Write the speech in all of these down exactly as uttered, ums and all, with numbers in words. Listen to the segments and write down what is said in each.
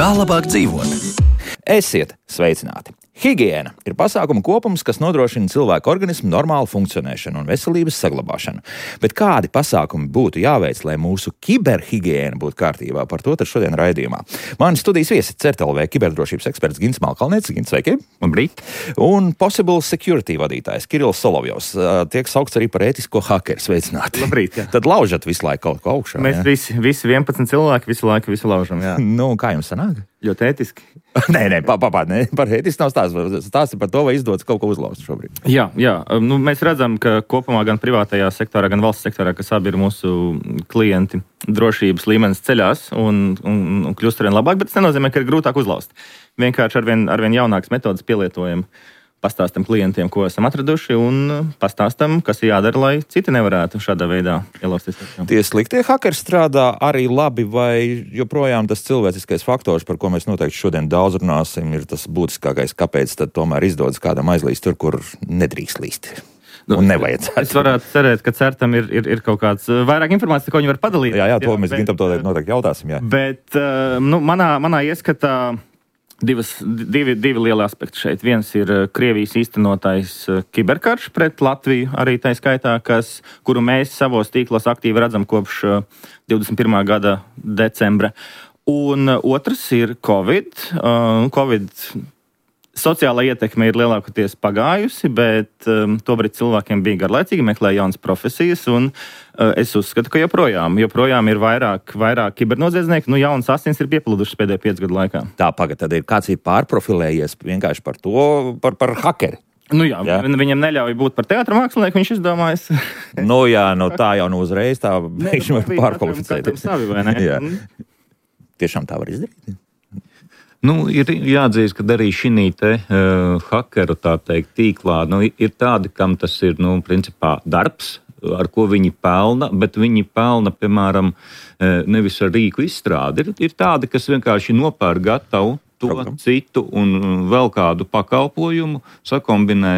Kā labāk dzīvot? Esiet sveicināti! Higiēna ir pasākuma kopums, kas nodrošina cilvēku organismu normālu funkcionēšanu un veselības saglabāšanu. Bet kādi pasākumi būtu jāveic, lai mūsu kiberhigiēna būtu kārtībā? Par to tad šodien raidījumā. Mani studijas viesis C E R T L V kiberdrošības eksperts Gints Malkalnietis. Gints, sveiki! Labrīt! Un Possible Security vadītājs Kirills Solovjovs. Tiek saukts arī par ētisko hakeru. Sveicināti! Labrīt! Jā. Tad laužat visu laiku kaut ko augšā. Mēs jā? visi, visi vienpadsmit cilvēki visu laiku visu laužam. Jā. Nu, kā jums sanāk? Ļoti ētiski. nē, nē, pa, pa, pa, nē, par ētisku nav stāsts. Stāsti par to, vai izdodas kaut ko uzlauzt šobrīd. Jā, jā. Nu, mēs redzam, ka kopumā gan privātajā sektorā, gan valsts sektorā, kas abi ir mūsu klienti, drošības līmenis ceļās un, un, un kļūst arvien labāk, bet tas nenozīmē, ka ir grūtāk uzlauzt. Vienkārši arvien, arvien jaunākas metodas pielietojam. Pastāstam klientiem, ko esam atraduši, un pastāstam, kas ir jādara, lai citi nevarētu šādā veidā ielausties. Tie sliktie hakeri strādā arī labi, vai joprojām tas cilvēciskais faktors, par ko mēs noteikti šodien daudz runāsim, ir tas būtiskākais, kāpēc tad tomēr izdodas kādam aizlīst tur, kur nedrīkst līst. Un nevajadzētu. Es varētu cerēt, ka certam ir, ir, ir kaut kāds vairāk informācijas, ko viņi var padalīt. Jā, jā, to jā, mēs Gintam noteikti jautāsim. Jā. Bet nu, manā, manā ieskatā Divas, divi, divi lieli aspekti šeit. Viens ir Krievijas īstenotais kiberkarš pret Latviju, arī tā skaitā, kas, kuru mēs savos tīklos aktīvi redzam kopš divdesmit pirmā gada decembra. Un otrs ir Covid. Covid sociālā ietekme ir lielākoties pagājusi, bet um, tobrīd cilvēkiem bija garlaicīgi, meklēja jaunas profesijas, un uh, es uzskatu, ka joprojām, joprojām ir vairāk, vairāk kibernoziedznieki, nu jaunas asins ir piepildušas pēdējo piecu gadu laikā. Tā, pagad, tad ir kāds ir pārprofilējies vienkārši par to, par, par hakeri. Nu jā, jā, viņam neļauj būt par teātra mākslinieku, viņš izdomājas. nu jā, no tā jau nu uzreiz tā mēģinām pārkvalificēt. Savi, vai ne? jā. Tiešām tā var izdarīt? Nu, ir jāatzīst, ka arī šī te uh, hakeru tā teikt, tīklā nu, ir tādi, kam tas ir nu, principā darbs, ar ko viņi pelna, bet viņi pelna, piemēram, nevis ar rīku izstrādi. Ir, ir tādi, kas vienkārši nopērk gatavu to Program. citu un vēl kādu pakalpojumu, sakombinē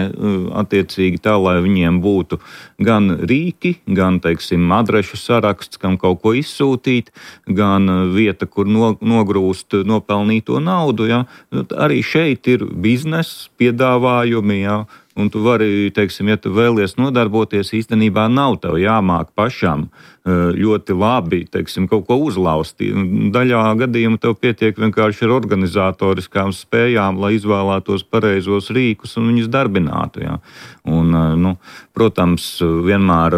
attiecīgi tā, lai viņiem būtu gan rīki, gan, teiksim, adrešu saraksts, kam kaut ko izsūtīt, gan vieta, kur no, nogrūst nopelnīto naudu. Ja. Arī šeit ir bizness, piedāvājumi, ja. Un tu vari, teiksim, ja tu vēlies nodarboties, īstenībā nav tev jāmāk pašam ļoti labi, teiksim, kaut ko uzlauzt. Daļā gadījumā tev pietiek vienkārši ar organizatoriskām spējām, lai izvēlētos pareizos rīkus un viņus darbinātu. Ja. Un, nu, protams, vienmēr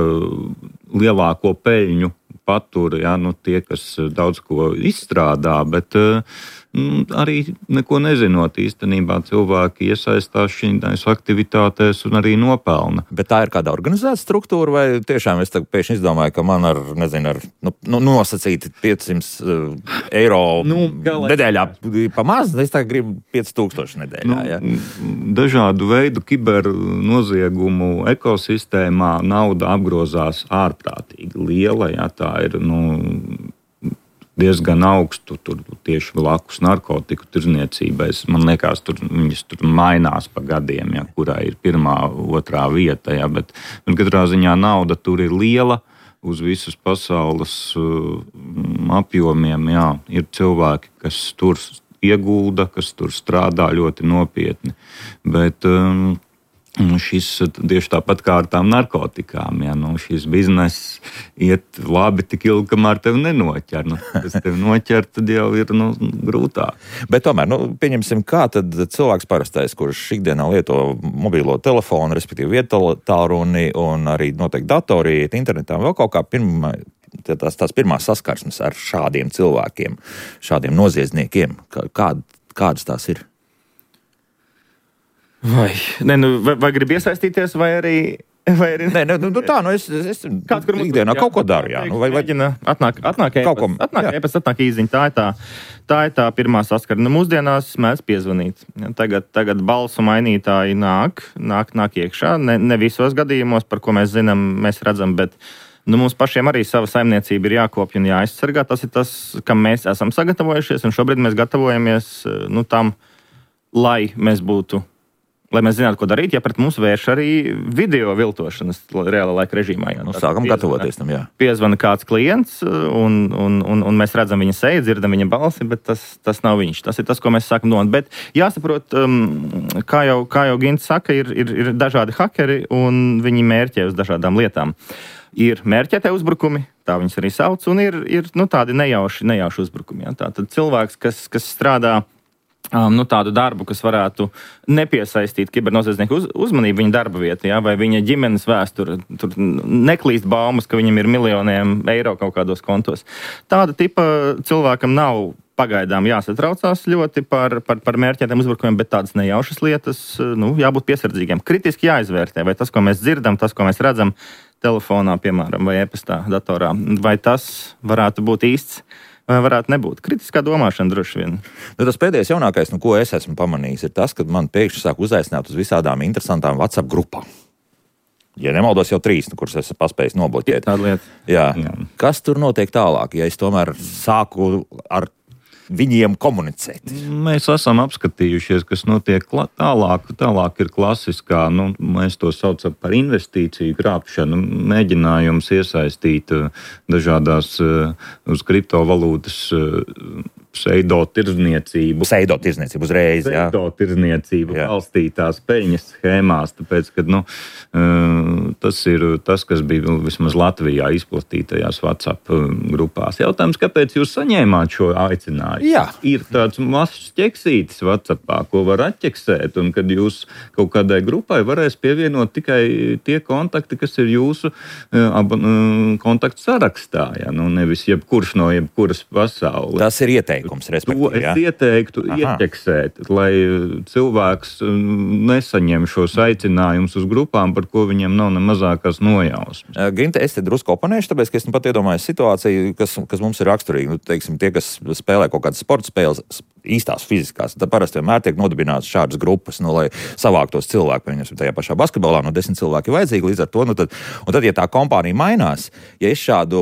lielāko peļņu patur, ja, nu, tie, kas daudz ko izstrādā, bet nu, arī neko nezinot īstenībā cilvēki iesaistās šīs aktivitātēs un arī nopelna. Bet tā ir kāda organizēta struktūra, vai tiešām es tagad pēkšņi izdomāju, ka man ar, nezinu, ar nu, nu, nosacīti piecsimt eiro nu, nedēļā pa maz, es tagad gribu pieci tūkstoši nedēļā. Nu, ja? Dažādu veidu kibernoziegumu ekosistēmā nauda apgrozās ārprātīgi liela, ja tā ir, nu, diezgan augstu, tur tieši blakus narkotiku tirzniecībai. Man liekas, tur viņas tur mainās pa gadiem, ja, kurā ir pirmā, otrā vieta, ja, bet, bet katrā ziņā nauda tur ir liela uz visas pasaules uh, apjomiem, jā. Ir cilvēki, kas tur iegulda, kas tur strādā ļoti nopietni, bet um, šis tieši tāpat kā ar tām narkotikām, ja, nu, šis bizness iet labi tik ilgi, kamēr tev nenoķer. Nu, kas tev noķer, tad jau ir nu, grūtāk. Bet tomēr, nu, pieņemsim, kā tad cilvēks parastais, kurš ikdienā lieto mobilo telefonu, respektīvi vietālruni un arī noteikti datori, iet internetā, vēl kaut kā pirmā, tās, tās pirmās saskarsmes ar šādiem cilvēkiem, šādiem noziedzniekiem, kā, kādas tās ir? Vai, ne, nu, vai, vai grib iesaistīties, vai arī... Vai arī... Nē, nu, nu tā, nu es, es Kāds, ikdienā jā, kaut ko daru, jā. Nu, vai, vai... Atnāk, atnāk ēpas, atnāk ēpas, atnāk īziņa, tā ir tā, tā ir tā pirmā saskara. Nu, mūsdienās mēs piezvanīt. Tagad, tagad balsu mainītāji nāk, nāk, nāk iekšā, ne, ne visos gadījumos, par ko mēs zinām, mēs redzam, bet nu, mums pašiem arī sava saimniecība ir jākopja un jāaizsargā. Tas ir tas, kam mēs esam sagatavojušies, un šobrīd mēs gatavojamies nu, tam, lai mēs būtu lai mēs zinātu, ko darīt, ja pret mums vērš arī video viltošanas reāla laika režīmā. Jā. Nu, sākam piezvana, gatavoties tam, jā. Piezvana kāds klients, un, un, un, un mēs redzam viņa seju, dzirdam viņa balsi, bet tas, tas nav viņš. Tas ir tas, ko mēs sākam domāt. Bet jāsaprot, um, kā jau, kā jau Gints saka, ir, ir, ir dažādi hakeri, un viņi mērķē uz dažādām lietām. Ir mērķētie uzbrukumi, tā viņus arī sauc, un ir, ir nu, tādi nejauši, nejauši uzbrukumi. Jā. Tā tad cilvēks, kas, kas strādā Um, nu, tādu darbu, kas varētu nepiesaistīt kibernoziedznieku uz, uzmanību viņa darba vietā, ja, vai viņa ģimenes vēsture. Tur neklīst baumas, ka viņam ir miljoniem eiro kaut kādos kontos. Tāda tipa cilvēkam nav pagaidām jāsatraucās ļoti par, par, par mērķētiem uzbrukumiem, bet tādas nejaušas lietas, nu, jābūt piesardzīgiem. Kritiski jāizvērtē, vai tas, ko mēs dzirdam, tas, ko mēs redzam telefonā, piemēram, vai e-pastā, datorā, vai tas varētu būt īsts, vai varētu nebūt. Kritiskā domāšana droši vien. Nu, tas pēdējais jaunākais, nu, ko es esmu pamanījis, ir tas, ka man pēkšņi sāk uzaicināt uz visādām interesantām WhatsApp grupām. Ja nemaldos, jau trīs, nu, kuras esmu paspējis nobloķēt. Tāda lieta. Jā. Jā. Kas tur notiek tālāk, ja es tomēr sāku ar viņiem komunicēt? Mēs esam apskatījušies, kas notiek tālāk. Tālāk ir klasiskā, nu, mēs to saucam par investīciju krāpšanu, mēģinājums iesaistīt dažādās uz kriptovalūtas pseido-tirdzniecību. Pseido-tirdzniecību uzreiz, jā. Pseido-tirdzniecību balstītās peļņas schēmās, tāpēc, ka, nu, tas ir tas, kas bija vismaz Latvijā izplatītajās WhatsApp grupās. Jautājums, kāpēc jūs saņēmāt šo aicinājumu? Jā. Ir tāds mazs ķeksītis WhatsAppā, ko var atķeksēt, un kad jūs kaut kādai grupai varēs pievienot tikai tie kontakti, kas ir jūsu kontaktu sarakstā, ja? Nu, nevis jebkurš no jebkuras pasaules. Tas ir ieteikums. To es ieteiktu ieķeksēt, lai cilvēks nesaņem šos aicinājumus uz grupām, par ko viņiem nav ne mazākās nojausmas. Ginte, es te drusku oponēšu, tāpēc, ka es nu pat iedomājos situāciju, kas, kas mums ir raksturīga. Nu, teiksim, tie, kas spēlē kaut kādas sporta spēles, īstās fiziskās, tad parasti vienmēr tiek nodibināts šādas grupas, nu, lai savāktos cilvēki, pieņemsim, tajā pašā basketbolā, no desmit cilvēki vajadzīgi, līdz ar to, nu, tad, un tad, ja tā kompānija mainās, ja es šādu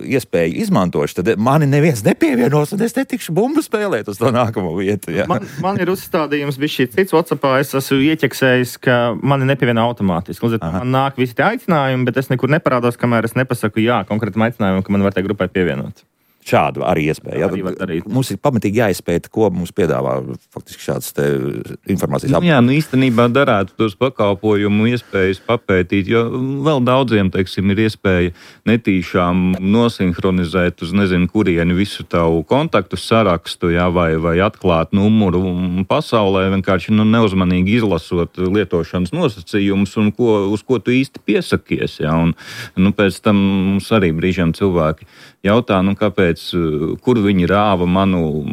iespēju izmantošu, tad mani neviens nepievienos, un es netikšu bumbu spēlēt uz to nākamo vietu. Jā. Man, man ir uzstādījums bijis šī cits WhatsAppā, es esmu ieķeksējis, ka mani nepievieno automātiski. Līdz ar to man nāk visi tie aicinājumi, bet es nekur neparādos, kamēr es nepasaku jā konkrētam aicinājumam, ka man var tai grupai pievienot. Šādu arī iespēju. Arī mums ir pamatīgi jāizpēta, ko mums piedāvā faktiski šāds te informācijas apgādājums. Nu, jā, nu īstenībā darētu tos pakalpojumu iespējas papētīt, jo vēl daudziem, teiksim, ir iespēja netīšām nosinhronizēt uz nezinu kurieni visu tavu kontaktu sarakstu, jā, vai, vai atklāt numuru pasaulē, vienkārši nu, neuzmanīgi izlasot lietošanas nosacījumus un ko, uz ko tu īsti piesakies. Jā, un, nu, pēc tam mums arī brīžiem cilvēki jautā, nu, kāpēc, kur viņi rāva manu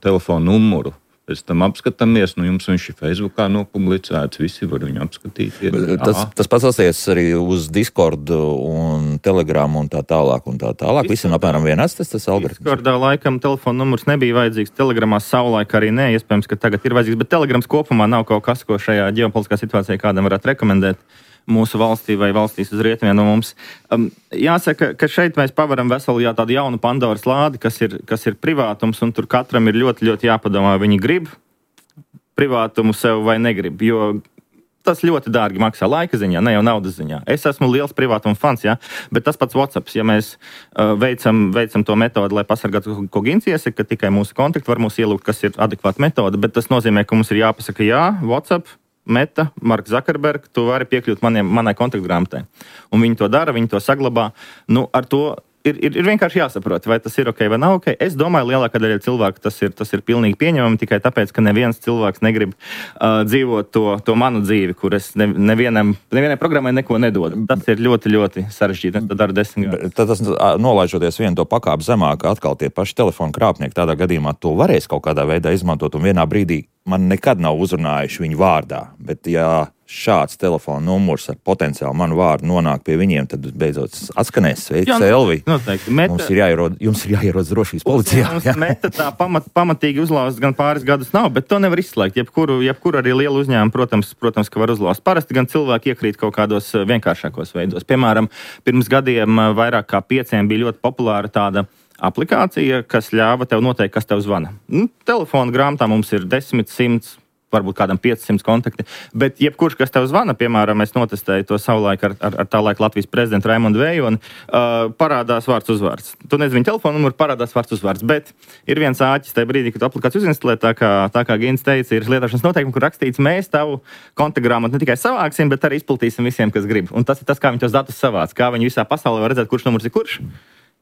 telefonu numuru. Pēc tam apskatāmies, nu jums viņš ir Facebookā nopublicēts, visi var viņu apskatīt. Tas, tas pats attiecas arī uz Discord un Telegram un tā tālāk un tā tālāk. Visam apmēram vienāds tas, tas algoritms. Discordā laikam telefona numurs nebija vajadzīgs, Telegramā savulaik arī nē, iespējams, ka tagad ir vajadzīgs, bet Telegrams kopumā nav kaut kas, ko šajā ģeopolitiskā situācijā kādam varētu rekomendēt mūsu valstī vai valstīs uz rietumiem no mums. Um, jāsaka, ka šeit mēs pavaram veselu jā, tādu jaunu Pandoras lādi, kas ir, kas ir privātums, un tur katram ir ļoti, ļoti jāpadomā, vai viņi grib privātumu sev vai negrib, jo tas ļoti dārgi maksā laika ziņā, ne jau naudas ziņā. Es esmu liels privātuma fans, jā, bet tas pats WhatsApp, ja mēs uh, veicam, veicam to metodi, lai pasargātu, ko Gints iesaka, ka tikai mūsu kontakti var mūs ielūgt, kas ir adekvāta metode, bet tas nozīmē, ka mums ir jāpasaka jā, WhatsApp, Meta, Mark Zuckerberg, tu vari piekļūt maniem, manai kontaktgrāmatai. Un viņi to dara, viņi to saglabā. Nu, ar to ir, ir, ir vienkārši jāsaprot, vai tas ir ok vai nav ok. Es domāju, lielākā daļa cilvēku tas ir, tas ir pilnīgi pieņemami tikai tāpēc, ka neviens cilvēks negrib uh, dzīvot to, to manu dzīvi, kur es ne, nevienam, nevienai programmai neko nedodu. Tas ir ļoti, ļoti sarežģīti. Es to daru desmit gadus. Tad tas, nolaižoties vienu to pakāpi zemāk, atkal tie paši telefonu krāpnieki tādā gadījumā to varēs kaut kādā veidā izmantot, un vienā brīdī man nekad nav uzrunājuši viņu vārdā, bet ja šāds telefona numurs ar potenciāli manu vārdu nonāk pie viņiem, tad beidzot atskanēs sveiks, Elvi. Meta, mums ir jāierod, jums ir jāierodas drošības policijā. Jā. Meta tā pamat, pamatīgi uzlauzt gan pāris gadus nav, bet to nevar izslēgt. Jebkuru, jebkuru arī lielu uzņēmumu, protams, protams, ka var uzlauzt. Parasti gan cilvēki iekrīt kaut kādos vienkāršākos veidos. Piemēram, pirms gadiem vairāk kā pieciem bija ļoti populāra tāda aplikācija, kas ļāva tev noteikt, kas tev zvana. Nu, telefona grāmatā mums ir desmit, simts, varbūt kādam piecsimt kontakti. Bet jebkurš, kas tev zvana, piemēram, es notestēju to savulaik ar, ar, ar tā laika Latvijas prezidentu Raimondu Vējoni, uh, parādās vārds uzvārds. Tu nezini viņa telefonu numuru, parādās vārds uzvārds, bet ir viens āķis tajā brīdī, kad tu aplikāciju uzinstalē, tā kā, tā kā Gins teica, ir lietošanas noteikumi, kur rakstīts, mēs tavu kontaktgrāmatu ne tikai savāksim, bet arī izplatīsim visiem, kas grib. Un tas ir tas, kā viņi tos datus savāc, kā viņi visā pasaulē var redzēt, kurš numurs ir kurš.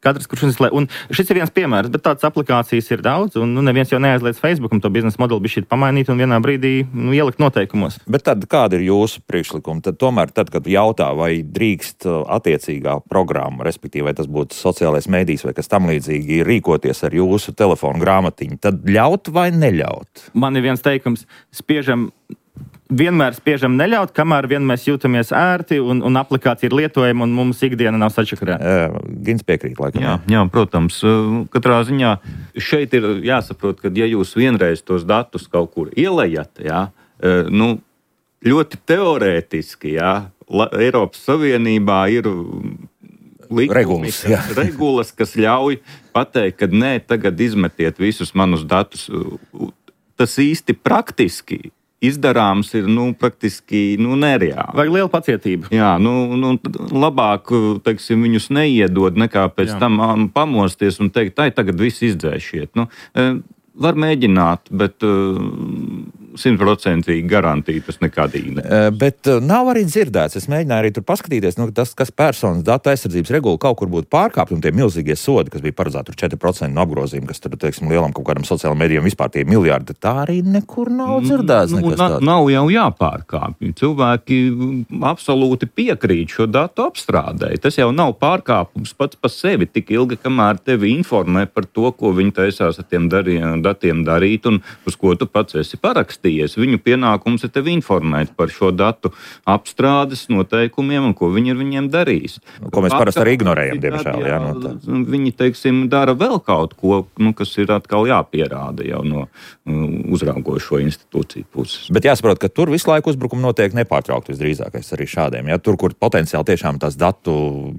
Katrs, kurš uzslēdz. Un šis ir viens piemērs, bet tādas aplikācijas ir daudz, un nu, neviens jau neaizliedz Facebookam to biznesa modeli bišķi pamainīt un vienā brīdī nu, ielikt noteikumos. Bet tad kāda ir jūsu priekšlikuma? Tad tomēr, tad, kad jautā, vai drīkst attiecīgā programma, respektīvi, vai tas būtu sociālais mēdījis vai kas tam līdzīgi, rīkoties ar jūsu telefonu grāmatiņu, tad ļaut vai neļaut? Man ir viens teikums, spiežam. Vienmēr spiežam neļaut, kamēr vien mēs jūtamies ērti un, un aplikācija ir lietojama un mums ikdiena nav sačakarēta. Gins piekrīt, laikam. Jā, jā, protams. Katrā ziņā šeit ir jāsaprot, ka ja jūs vienreiz tos datus kaut kur ielejat, jā, nu, ļoti teorētiski, jā, Eiropas Savienībā ir likumi, regulas, kas, regulas, kas ļauj pateikt, ka nē, tagad izmetiet visus manus datus. Tas īsti praktiski izdarāms ir, nu, praktiski, nu, nereāli. Vajag liela pacietība. Jā, nu, nu labāk, teiksim, viņus neiedod, nekā pēc Jā. tam um, pamosties un teikt, tai tagad viss izdzēšiet. Nu, var mēģināt, bet simtprocentīgi uh, garantīgi tas nekādīgi ne. Uh, bet uh, nav arī dzirdēts, es mēģināju arī tur paskatīties, nu, tas, kas personas datu aizsardzības regula kaut kur būtu pārkāpt, un tie milzīgie sodi, kas bija paredzēti tur četri procenti no apgrozījuma, kas tur, teiksim, lielam kaut kādam sociālajiem medijiem vispār tie miljardi, tā arī nekur nav dzirdēts. Nu, na, nav jau jāpārkāpj. Cilvēki absolūti piekrīt šo datu apstrādēji. Tas jau nav pārkāpums pats par sevi tik ilgi, kamēr tevi informē par to, ko viņi taisās ar tiem darī, datiem darīt un uz ko tu pats esi parakstījies. Viņu pienākums ir tevi informēt par šo datu apstrādes noteikumiem un ko viņi ar viņiem darīs. Ko mēs parasti arī ignorējam, diemžēl. Jā, no tā. Viņi, teiksim, dara vēl kaut ko, nu, kas ir atkal jāpierāda jau no uzraugošo institūciju puses. Bet jāsaprot, ka tur visu laiku uzbrukumi notiek nepārtraukti visdrīzākais arī šādiem. Ja? Tur, kur potenciāli tiešām tās datu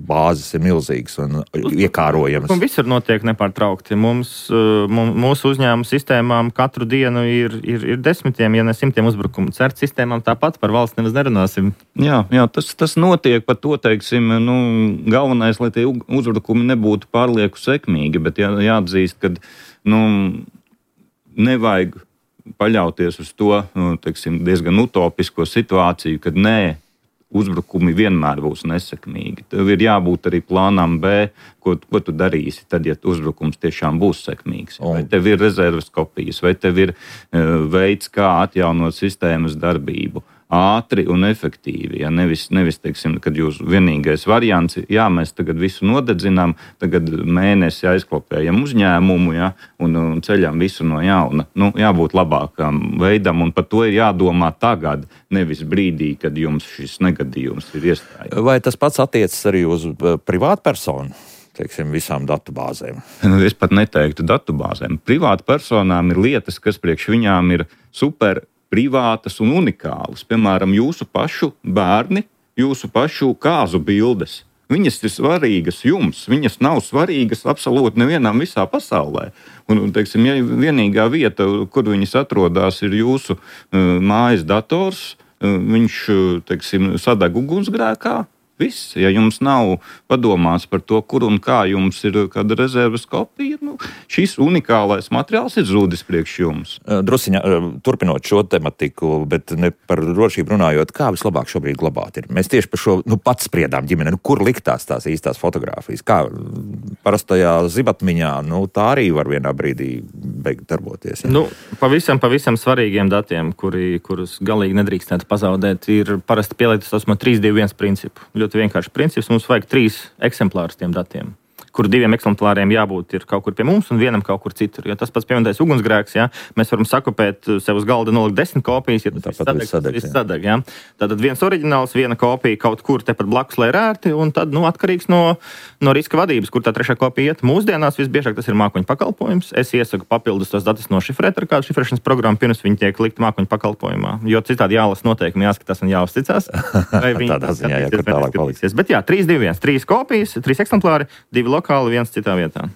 bāzes ir milzīgas un iekārojamas. Un visur notiek nepārtraukti. Mums, mūsu uzņēmuma sistēmām katru dienu ir, ir, ir desmitiem, ja ne simtiem uzbrukumu. Cert sistēmām tāpat par valsts nemaz nerunāsim. Jā, jā tas, tas notiek par to, teiksim, nu, galvenais, lai tie uzbrukumi nebūtu pārlieku sekmīgi, bet jā, jāatzīst, ka, nu, nevajag paļauties uz to, teiksim, diezgan utopisko situāciju, kad nē, uzbrukumi vienmēr būs nesekmīgi. Tev ir jābūt arī plānam B, ko, ko tu darīsi tad, ja uzbrukums tiešām būs sekmīgs. Vai tev ir rezerves kopijas, vai tev ir uh, veids, kā atjaunot sistēmas darbību. Ātri un efektīvi. Ja? Nevis, nevis, teiksim, kad jūs vienīgais variants, jā, mēs tagad visu nodedzinām, tagad mēnesi aizklopējam uzņēmumu, ja? un, un ceļam visu no jauna. Nu, jābūt labākam veidam, un par to ir jādomā tagad, nevis brīdī, kad jums šis negadījums ir iestājies. Vai tas pats attiecas arī uz privātpersonu? Teiksim, visām datubāzēm. Es pat neteiktu datubāzēm. Privātpersonām ir lietas, kas priekš viņām ir super privātas un unikālas. Piemēram, jūsu pašu bērni, jūsu pašu kāzu bildes. Viņas ir svarīgas jums, viņas nav svarīgas absolūti nevienam visā pasaulē. Un, teiksim, ja vienīgā vieta, kur viņas atrodas, ir jūsu uh, mājas dators, uh, viņš, teiksim, sadeg ugunsgrēkā. Viss, ja jums nav padomāts par to, kur un kā jums ir kāda rezerves kopija, nu, šis unikālais materiāls ir zudis priekš jums. Drusiņa, turpinot šo tematiku, bet ne par drošību runājot, kā vislabāk šobrīd glabāt ir? Mēs tieši par šo, nu, pats spriedām ģimene, nu, kur liktās tās īstās fotogrāfijas? Kā parastajā zibatmiņā, nu, tā arī var vienā brīdī beigt darboties. Ja? Nu, pavisam, pavisam svarīgiem datiem, kuri, kurus galīgi nedrīkstētu pazaudēt, ir parasti pielietot tos no trīs divi viens principu. Ļoti vienkārši princips. Mums vajag trīs eksemplārus tiem datiem, kur diviem eksemplāriem jābūt ir kaut kur pie mums un vienam kaut kur citur. Jo tas pats pieminētais ugunsgrēks, jā, mēs varam sakopēt sev uz galda nolikt desmit kopijas, ja tas sadeg, viss sadeg, viss sadeg, jā. Tātad viens oriģināls, viena kopija kaut kur tepat blakus, lai ir ērti, un tad, nu, atkarīgs no, no riska vadības, kur tā trešā kopija iet. Mūsdienās visbiežāk tas ir mākoņu pakalpojums. Es iesaku papildus tos datus nošifrēt ar kādu šifrēšanas programmu, pirms viņi tiek likt mākoņu pakalpojumā, jo citādi jālas noteikumi, jāskatās un jāuzticās. Vai viņi ziņā, jā, skatīsies. Bet jā, trīs divi viens, trīs kopijas, trīs eksemplāri, divi lokāli, viens citā vietā.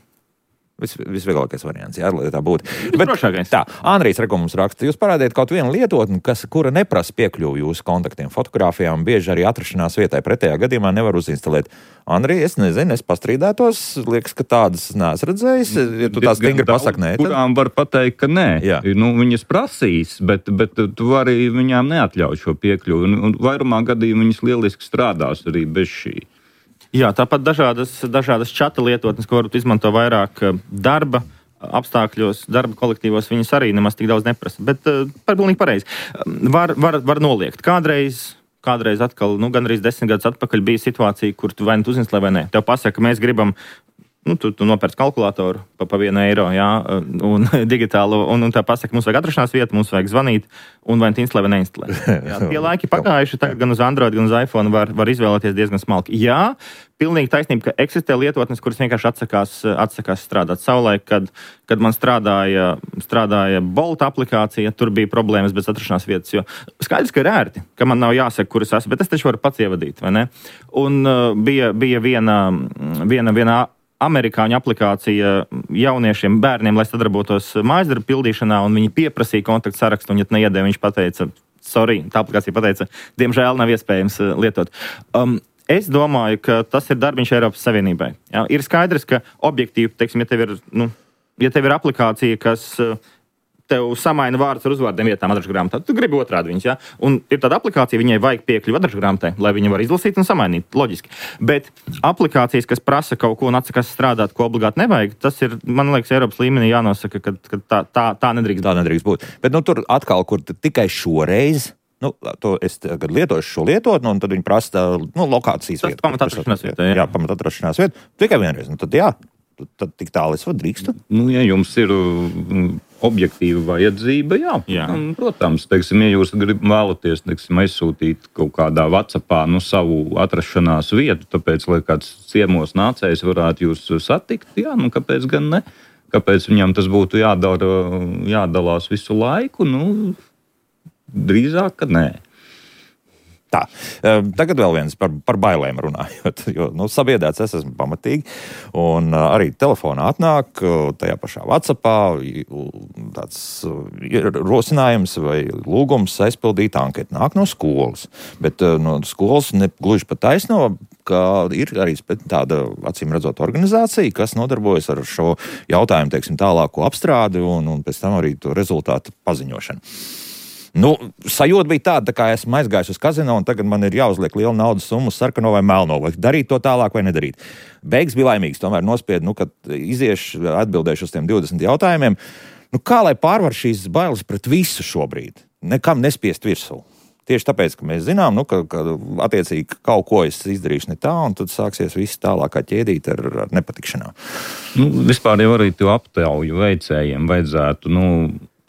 vis, visvieglākais variants, jā, lai tā būtu. Bet, tā, Andrijs Reko mums raksta, jūs parādiet kaut vienu lietotni, kas, kura neprasa piekļuvu jūsu kontaktiem, fotogrāfijām, bieži arī atrašanās vietai. Pretējā gadījumā nevar uzinstalēt. Andrij, es nezinu, es pastrīdētos, liekas, ka tādas neesmu redzējis, ja tu tā stingri pasaki nē. Tad... Kurām var pateikt, ka nē. Jā. Nu, viņas prasīs, bet, bet tu vari viņām neatļaut šo piekļuvu. Un, un vairumā gadījumā viņas lieliski strādās arī bez šī. Jā, tāpat dažādas, dažādas čata lietotnes, ko varat izmantot vairāk darba apstākļos, darba kolektīvos, viņas arī nemaz tik daudz neprasa. Bet uh, par pilnīgi pareizi. Var, var, var noliegt. Kādreiz, kādreiz atkal, nu, gan arī desmit gadus atpakaļ bija situācija, kur tu vai nu uzinstalē vai nē. Tev pasaka, ka mēs gribam, nu, tu, tu nopērc kalkulātoru pa, pa vienu eiro, jā, un digitālo, un, un tā pasaka, mums vajag atrašanās vietu, mums vajag zvanīt, un vai tu instalē vai neinstalē. Jā, tie laiki pagājuši, tagad gan uz Android, gan uz iPhone var, var izvēlēties diezgan smalki. Jā, pilnīgi taisnība, ka eksistē lietotnes, kuras vienkārši atsakās, atsakās strādāt. Savulaik, kad, kad man strādāja, strādāja Bolt aplikācija, tur bija problēmas bez atrašanās vietas, jo skaidrs, ka ir ērti, ka man nav jāsaka, kur es esmu, bet es taču varu pats ievadīt, vai ne? Un uh, bija, bija viena, viena, viena amerikāņu aplikācija jauniešiem, bērniem, lai sadarbotos mājasdarbu pildīšanā, un viņi pieprasīja kontaktu sarakstu, un ja neiedēja, viņš pateica, sorry, tā aplikācija pateica, diemžēl nav iespējams lietot. Um, es domāju, ka tas ir darbiņš Eiropas Savienībai. Jā, ir skaidrs, ka objektīvi, teiksim, ja tev ir, nu, ja tev ir aplikācija, kas tev samaina vārdus ar uzvārdiem vietām adrešu grāmatā, tu gribi otrādi viņus, ja? Un ir tāda aplikācija, viņai vajag piekļuvi adrešu grāmatai, lai viņa var izlasīt un samainīt, loģiski. Bet aplikācijas, kas prasa kaut ko un atsakās strādāt, ko obligāti nevajag, tas ir, man liekas, Eiropas līmenī jānosaka, ka, ka tā, tā, tā nedrīkst. Tā nedrīkst būt. Bet nu, tur atkal, kur tikai šoreiz, nu, to es tagad lietošu šo lietotni, un tad viņi prasa, nu, lokācijas vietu. Tas pamat atrašanās vieta, jā. Jā, pamat atrašanās vieta. Tikai vienreiz, nu tad jā. Tad tik tālu es varu drīkstu. Nu, ja jums ir objektīva vajadzība, jā. jā. Un, protams, teiksim, ja jūs grib, vēlaties teiksim, aizsūtīt kaut kādā WhatsAppā nu, savu atrašanās vietu, tāpēc, lai kāds ciemos nācējs varētu jūs satikt, jā, nu, kāpēc gan ne? Kāpēc viņam tas būtu jādara, jādalās visu laiku? Nu, drīzāk, ka nē. Tā, tagad vēl viens par, par bailēm runājot, jo nu, sabiedēts es esmu pamatīgi, un arī telefonā atnāk tajā pašā WhatsAppā tāds rosinājums vai lūgums aizpildīt anketu. Nāk no skolas, bet no skolas ne gluži pa taisno, ka ir arī tāda, acīm redzot, organizācija, kas nodarbojas ar šo jautājumu, teiksim, tālāko apstrādi un, un pēc tam arī to rezultātu paziņošanu. Nu, sajūta bija tāda, tā kā esmu aizgājis uz kazino, un tagad man ir jāuzliek liela naudas summa sarkano vai melno, vai darīt to tālāk vai nedarīt. Beigas bija laimīgs, tomēr nospied, nu, kad iziešu, atbildēšu uz tiem divdesmit jautājumiem. Nu, kā lai pārvar šīs bailes pret visu šobrīd? Nekam nespiest virsū. Tieši tāpēc, ka mēs zinām, nu, ka, ka attiecīgi kaut ko es izdarīšu ne tā, un tad sāksies viss tālākā ķēdīt ar, ar nepatikšanām. Nu, vispār jau arī to aptauju veicējiem vajadzētu, nu,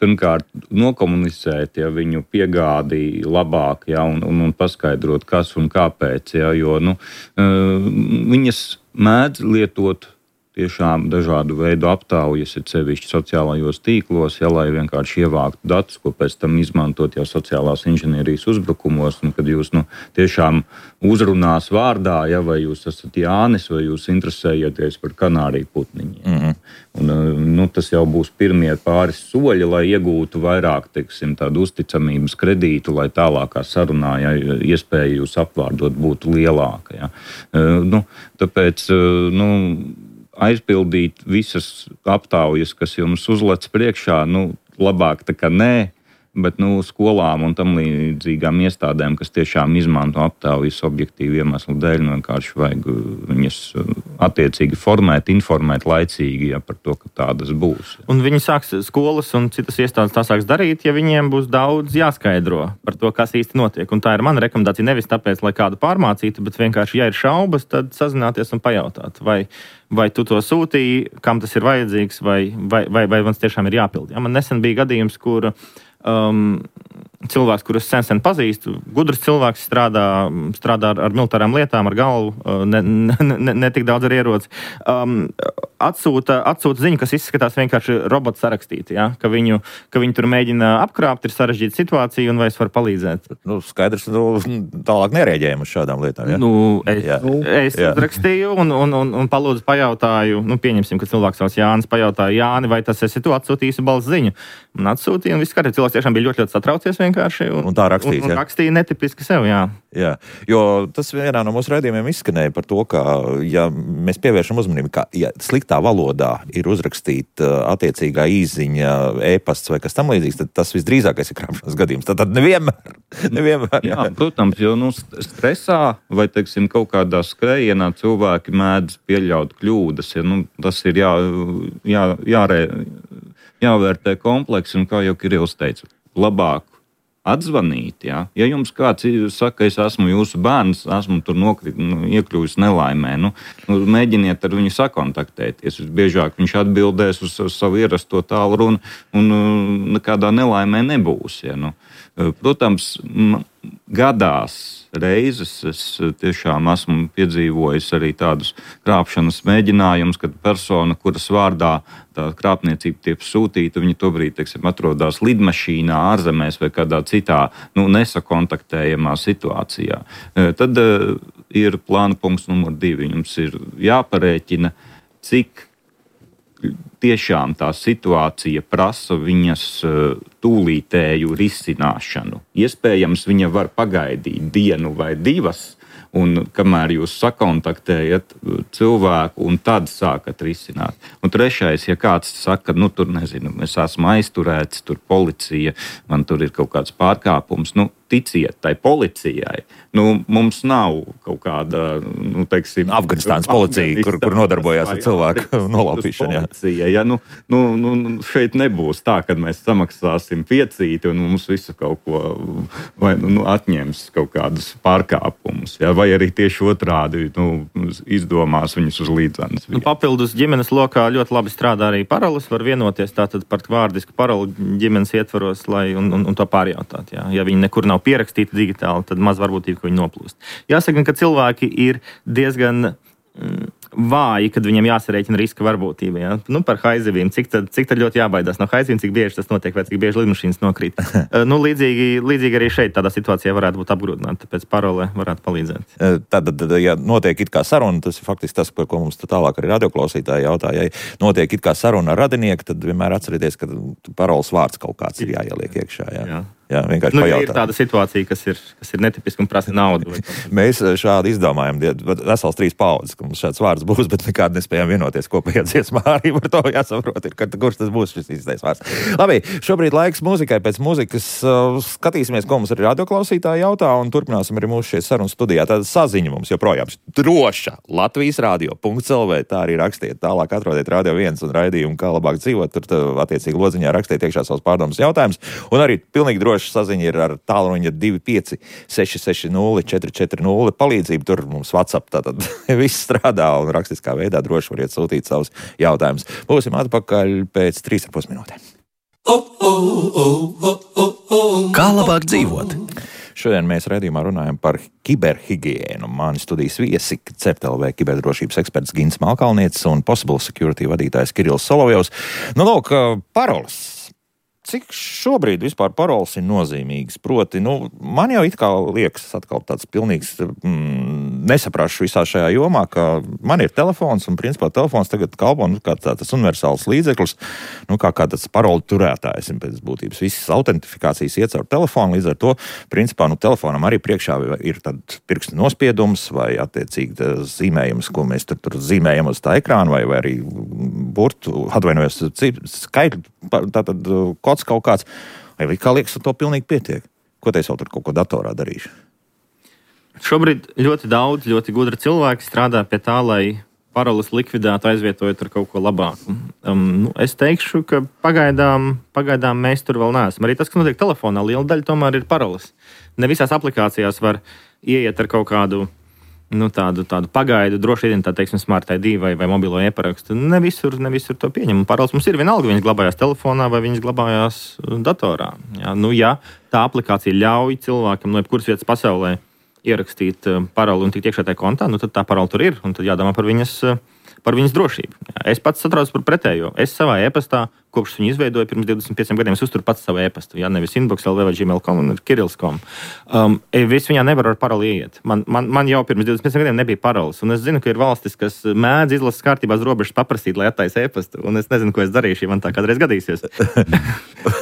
pirmkārt, nokomunicēt ja, viņu piegādi labāk ja, un, un, un paskaidrot, kas un kāpēc. Ja, jo nu, viņas mēdz lietot tiešām dažādu veidu aptaujas, ir sevišķi sociālajos tīklos, ja, lai vienkārši ievāktu datus, ko pēc tam izmantot jau sociālās inženierijas uzbrukumos, un kad jūs nu, tiešām uzrunās vārdā, ja, vai jūs esat Jānis, vai jūs interesējaties par kanāriju putniņiem. Mm-hmm. Un, nu, tas jau būs pirmie pāris soļi, lai iegūtu vairāk, teiksim, tādu uzticamības kredītu, lai tālākā sarunā, ja, iespēja jūs apvārdot būtu lielāka. Ja. Nu, tāpēc, nu, aizpildīt visas aptaujas, kas jums uzlec priekšā, nu, labāk tā kā nē, bet nu, skolām un tam līdzīgām iestādēm, kas tiešām izmanto aptaujas objektīvu iemeslu dēļ, nu, vienkārši vajag viņas attiecīgi formēt, informēt laicīgi ja, par to, ka tādas būs. Un viņi sāks skolas un citas iestādes tā sāks darīt, ja viņiem būs daudz jāskaidro par to, kas īsti notiek. Un tā ir mana rekomendācija nevis tāpēc, lai kādu pārmācītu, bet vienkārši, ja ir šaubas, tad sazināties un pajautāt, vai vai tu to sūtīji, kam tas ir vajadzīgs, vai, vai, vai, vai man tiešām ir jāpild. Ja, man nesen bija gadījums, kur um, cilvēks, kurus sen sen pazīstu, gudrs cilvēks strādā, strādā ar, ar militārām lietām, ar galvu, ne, ne, ne, ne tik daudz ar ieroci. Um, atsūta, atsūta ziņu, kas izskatās vienkārši robots sarakstīti, ja? ka, viņu, ka viņu tur mēģina apkrāpt, ir sarežģīta situācija un vai es varu palīdzēt. Nu, skaidrs, nu, tālāk nereaģējam uz šādām lietām. Ja? Nu, es jā. es jā. uzrakstīju un, un, un, un palūdzu pajautāju, nu, pieņemsim, ka cilvēks sauc Jānis, pajautāju Jāni, vai tas esi tu atsūtījusi balss ziņu. Un atsūtīju, un viss skatījās, cilvēks tiešām bija ļoti, ļoti satraucies vienkārši. Un, un tā rakstīs, un, un rakstīja netipiski sev, jā. Jā, jo tas vienā no mūsu raidījumiem izskanēja par to, ka, ja mēs pievēršam uzmanību, ka, ja sliktā valodā ir uzrakstīta attiecīgā īziņa, e-pasts vai kas tam līdzīgs, tad tas visdrīzākais ir krāpšanas gadījums. Tad, tad nevienmēr, nevienmēr. Jā, protams, jo nu, stresā vai, teiksim, kaut kādā skrējienā cilvēki mēdz pieļaut kļūdas. Ja, nu, tas ir jā, jā, jārē, jāvērtē kompleksi, un kā jau Kirills teica, labāk atzvanīt, ja? Ja jums kāds saka, es esmu jūsu bērns, esmu tur nokrit, nu, iekļuvis nelaimē, nu, nu, mēģiniet ar viņu sakontaktēties. Visbiežāk viņš atbildēs uz, uz savu ierasto tālruni un nekādā nelaimē nebūs. Ja? Nu, protams, gadās reizes es tiešām esmu piedzīvojis arī tādus krāpšanas mēģinājumus, kad persona, kuras vārdā tā krāpniecība tiek sūtīta, viņa tobrīd, teiksim, atrodas lidmašīnā, ārzemēs vai kādā citā nu, nesakontaktējamā situācijā. Tad uh, ir plāna punkts numur divi. Jums ir jāparēķina, cik tiešām tā situācija prasa viņas tūlītēju risināšanu. Iespējams, viņa var pagaidīt dienu vai divas, un kamēr jūs sakontaktējat cilvēku un tad sākat risināt. Un trešais, ja kāds saka, nu tur nezinu, es esmu aizturēts, tur policija, man tur ir kaut kāds pārkāpums, nu ticiet tai policijai. Nu, mums nav kaut kāda, nu, teiksim... Afganistānas policija, kur, kur nodarbojās ar cilvēku nolaupīšanu. Policija, ja, nu, nu, nu, šeit nebūs tā, kad mēs samaksāsim piecīti un mums visu kaut ko vai, nu, atņems kaut kādus pārkāpumus. Ja, vai arī tieši otrādi nu, izdomās viņus uz līdzenas. Nu, papildus ģimenes lokā ļoti labi strādā arī paroles. Var vienoties tātad par vārdisku paroli ģimenes ietvaros, lai un, un, un to pārjautāt. Jā. Ja viņi nekur nav pierakstīti digitāli, tad maz varbūtība, ka viņi noplūst. Jāsaka, ka cilvēki ir diezgan mm, vāji, kad viņiem jāsarēķina riska varbūtība. Ja? Nu, par haizivīm. Cik tad, cik tad ļoti jābaidās no haizivīm, cik bieži tas notiek, vai cik bieži lidmašīnas nokrīt. nu, līdzīgi, līdzīgi arī šeit tādā situācijā varētu būt apgrūtināta, tāpēc parole varētu palīdzēt. Tad, ja notiek it kā saruna, tas ir faktiski tas, par ko mums tālāk arī radioklausītāji jautāja. Ja notiek it kā saruna ar radinieku, tad vienmēr atcerieties, ka paroles vārds kaut kāds ir jāieliek iekšā. Jā. Jā. Jā, vienkārši nu, pajautāt. Ir tāda situācija, kas ir, kas ir netipiska un prasa naudu. Mēs šādi izdomājam, vesels trīs paudzes, ka mums šāds vārds būs, bet nekādi nespējam vienoties kopējā dziesmā. Arī par to jāsaprot, ir, kurš tas būs šis īstais vārds. Labi, šobrīd laiks mūzikai. Pēc mūzikas uh, skatīsimies, ko mums arī radioklausītāji jautā, un turpināsim arī mūsu šeit sarunas studijā. Tāda saziņa mums joprojām droša. Latvijas radio punkts el vē, tā arī rakstiet. Tālāk atrodiet Radio viens un raidījumu, kā labāk dzīvot. Tur tā, attiecīgi lodziņā rakstiet iekšā savus pārdomas jautājumus. Un arī pilnīgi droši saziņa ir ar tālruņa divi pieci seši seši nulle četri četri nulle palīdzību. Tur mums WhatsApp tātad viss strādā un rakstiskā veidā droši variet sūtīt savus jautājumus. Būsim atpakaļ pēc trīs ar pus minūtēm. Kā labāk dzīvot? Šodien mēs raidījumā runājam par kiberhigiēnu. Mani studijas viesi C E R T L V kiberdrošības eksperts Gins Malkalnietis un Possible Security vadītājs Kirills Solovjovs. Nu, lūk, paroles. Cik šobrīd vispār paroles ir nozīmīgas? Proti, nu, man jau it kā liekas atkal tāds pilnīgs mm, nesaprašu visā šajā jomā, ka man ir telefons un principā telefons tagad kalpo nu, kā tāds universāls līdzeklis, nu, kā, kā tāds parolu turētājs. Pēc būtības visas autentifikācijas iet caur telefonu, līdz ar to, principā, nu, telefonam arī priekšā ir tad pirksta nospiedums vai attiecīgi zīmējums, ko mēs tur, tur zīmējam uz tā ekrāna vai, vai arī burtu, atvainojos, skaitļu, tātad kods kaut kāds. Vai kā liekas, to pilnīgi pietiek? Ko te es vēl tur kaut ko datorā darīšu? Šobrīd ļoti daudz, ļoti gudri cilvēki strādā pie tā, lai paroles likvidētu, aizvietojot ar kaut ko labāku. Um, nu, es teikšu, ka pagaidām, pagaidām mēs tur vēl neesam. Arī tas, kas notiek telefonā, liela daļa tomēr ir paroles. Ne visās aplikācijās var ieiet ar kaut kādu nu, tādu, tādu pagaidu droši identitāti, teiksim, Smart I D vai, vai mobilo e-parakstu. Ne visur, ne visur to pieņem. Paroles mums ir vienalga, viņas glabājās telefonā vai viņas glabājās datorā. Jā, nu, ja tā aplikācija ļauj cilvēkam no jebkuras vietas pasaulē ierakstīt paroli un tikt iekšā tajā kontā, nu, tad tā parola tur ir, un tad jādomā par viņas, par viņas drošību. Es pats satraucos par pretējo. Es savā e-pastā, kopš viņu izveidoju pirms divdesmit pieciem gadiem, es uzturu pats savu e-pastu. Jā, nevis inbox, L V vai gmail punkt com un kirillis punkt com. Um, es viņā nevaru ar paroli ieiet. Man, man, man jau pirms divdesmit pieciem gadiem nebija paroles. Un es zinu, ka ir valstis, kas mēdz izlases kārtībās robežas paprasīt, lai attaisa e-pastu. Un es nezinu, ko es darīšu, ja man tā kādreiz gadīsies.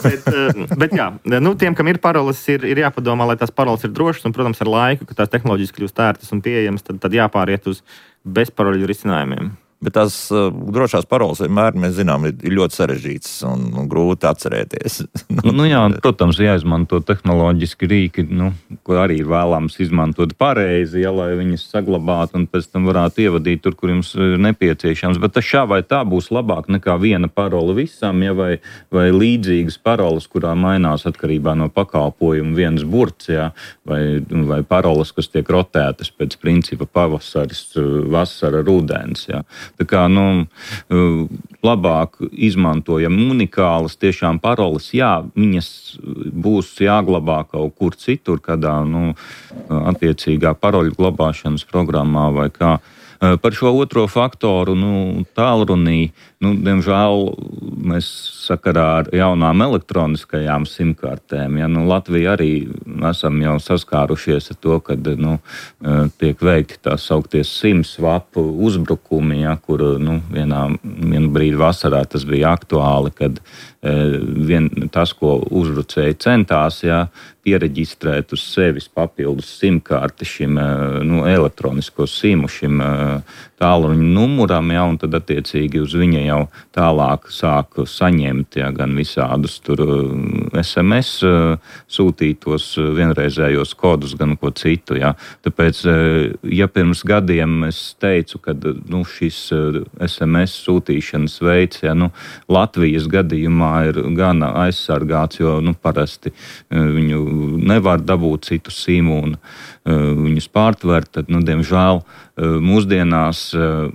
bet, bet jā, nu, tiem, kam ir paroles, ir, ir jāpadomā, lai tās paroles ir drošas. Un, protams, ar laiku, kad tās tehnoloģijas kļūst ērtas un pieejamas, tad, tad jāpāriet uz bezparoļu risinājumiem. Bet tās uh, drošās paroles vienmēr, mēs zinām, ir, ir ļoti sarežģītas un, un grūti atcerēties. nu, jā, protams, jāizmanto tehnoloģiski rīki, nu, ko arī ir vēlams izmantot pareizi, ja, lai viņas saglabātu un pēc tam varētu ievadīt tur, kur jums ir nepieciešams. Bet tas šā vai tā būs labāk nekā viena parola visam, ja, vai, vai līdzīgas paroles, kurā mainās atkarībā no pakalpojuma viens burts, ja, vai, vai paroles, kas tiek rotētas pēc principa pavasaris, vasara, rudens. Ja. Tā kā, nu, labāk izmantojam unikālas tiešām paroles, jā, viņas būs jāglabā kaut kur citur, kādā, nu, attiecīgā paroļu glabāšanas programmā vai kā. Par šo otro faktoru, nu, tālrunī, nu, diemžēl mēs sakarā ar jaunām elektroniskajām simkartēm, ja, nu, Latvija arī esam jau saskārušies ar to, kad, nu, tiek veikti tā saukties SIM-swap uzbrukumi, ja, kur, nu, vienā, vienu brīdi vasarā tas bija aktuāli, kad vien, tas, ko uzbrucēji centās, ja, piereģistrēt uz sevis papildus simkarti šim, nu, elektronisko simu, šim tālruņa numuram, ja, un tad attiecīgi uz viņa jau tālāk sāk saņemt, ja, gan visādus tur S M S sūtītos vienreizējos kodus, gan ko citu, ja. Tāpēc, ja pirms gadiem es teicu, ka, nu, šis S M S sūtīšanas veids, ja, nu, Latvijas gadījumā ir gan aizsargāts, jo, nu, parasti viņu nevar dabūt citu simu un uh, viņus pārtvert, tad, nu, diemžēl, uh, mūsdienās uh,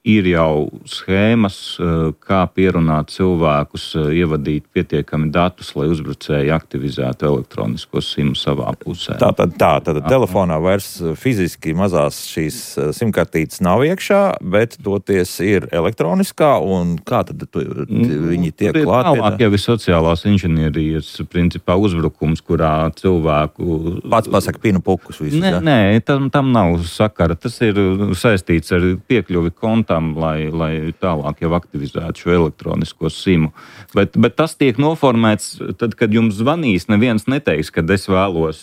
ir jau schēmas, uh, kā pierunāt cilvēkus, uh, ievadīt pietiekami datus, lai uzbrucēji aktivizētu elektronisko simu savā pusē. Tā tad, tā, tad telefonā vairs fiziski mazās šīs simkartītes nav iekšā, bet toties ir elektroniskā, un kā tad tu, viņi tiek klāt? Tālāk jau ir sociālās inženierijas principā uzbrukums, kurā cilvēku... Pats pasaka pinu pukus visus, nē, ja? Nē, tam, tam nav sakara. Tas ir saistīts ar piekļuvi kontam, lai, lai tālāk jau aktivizētu šo elektronisko simu. Bet, bet tas tiek noformēts tad, kad jums zvanīs, neviens neteiks, kad es vēlos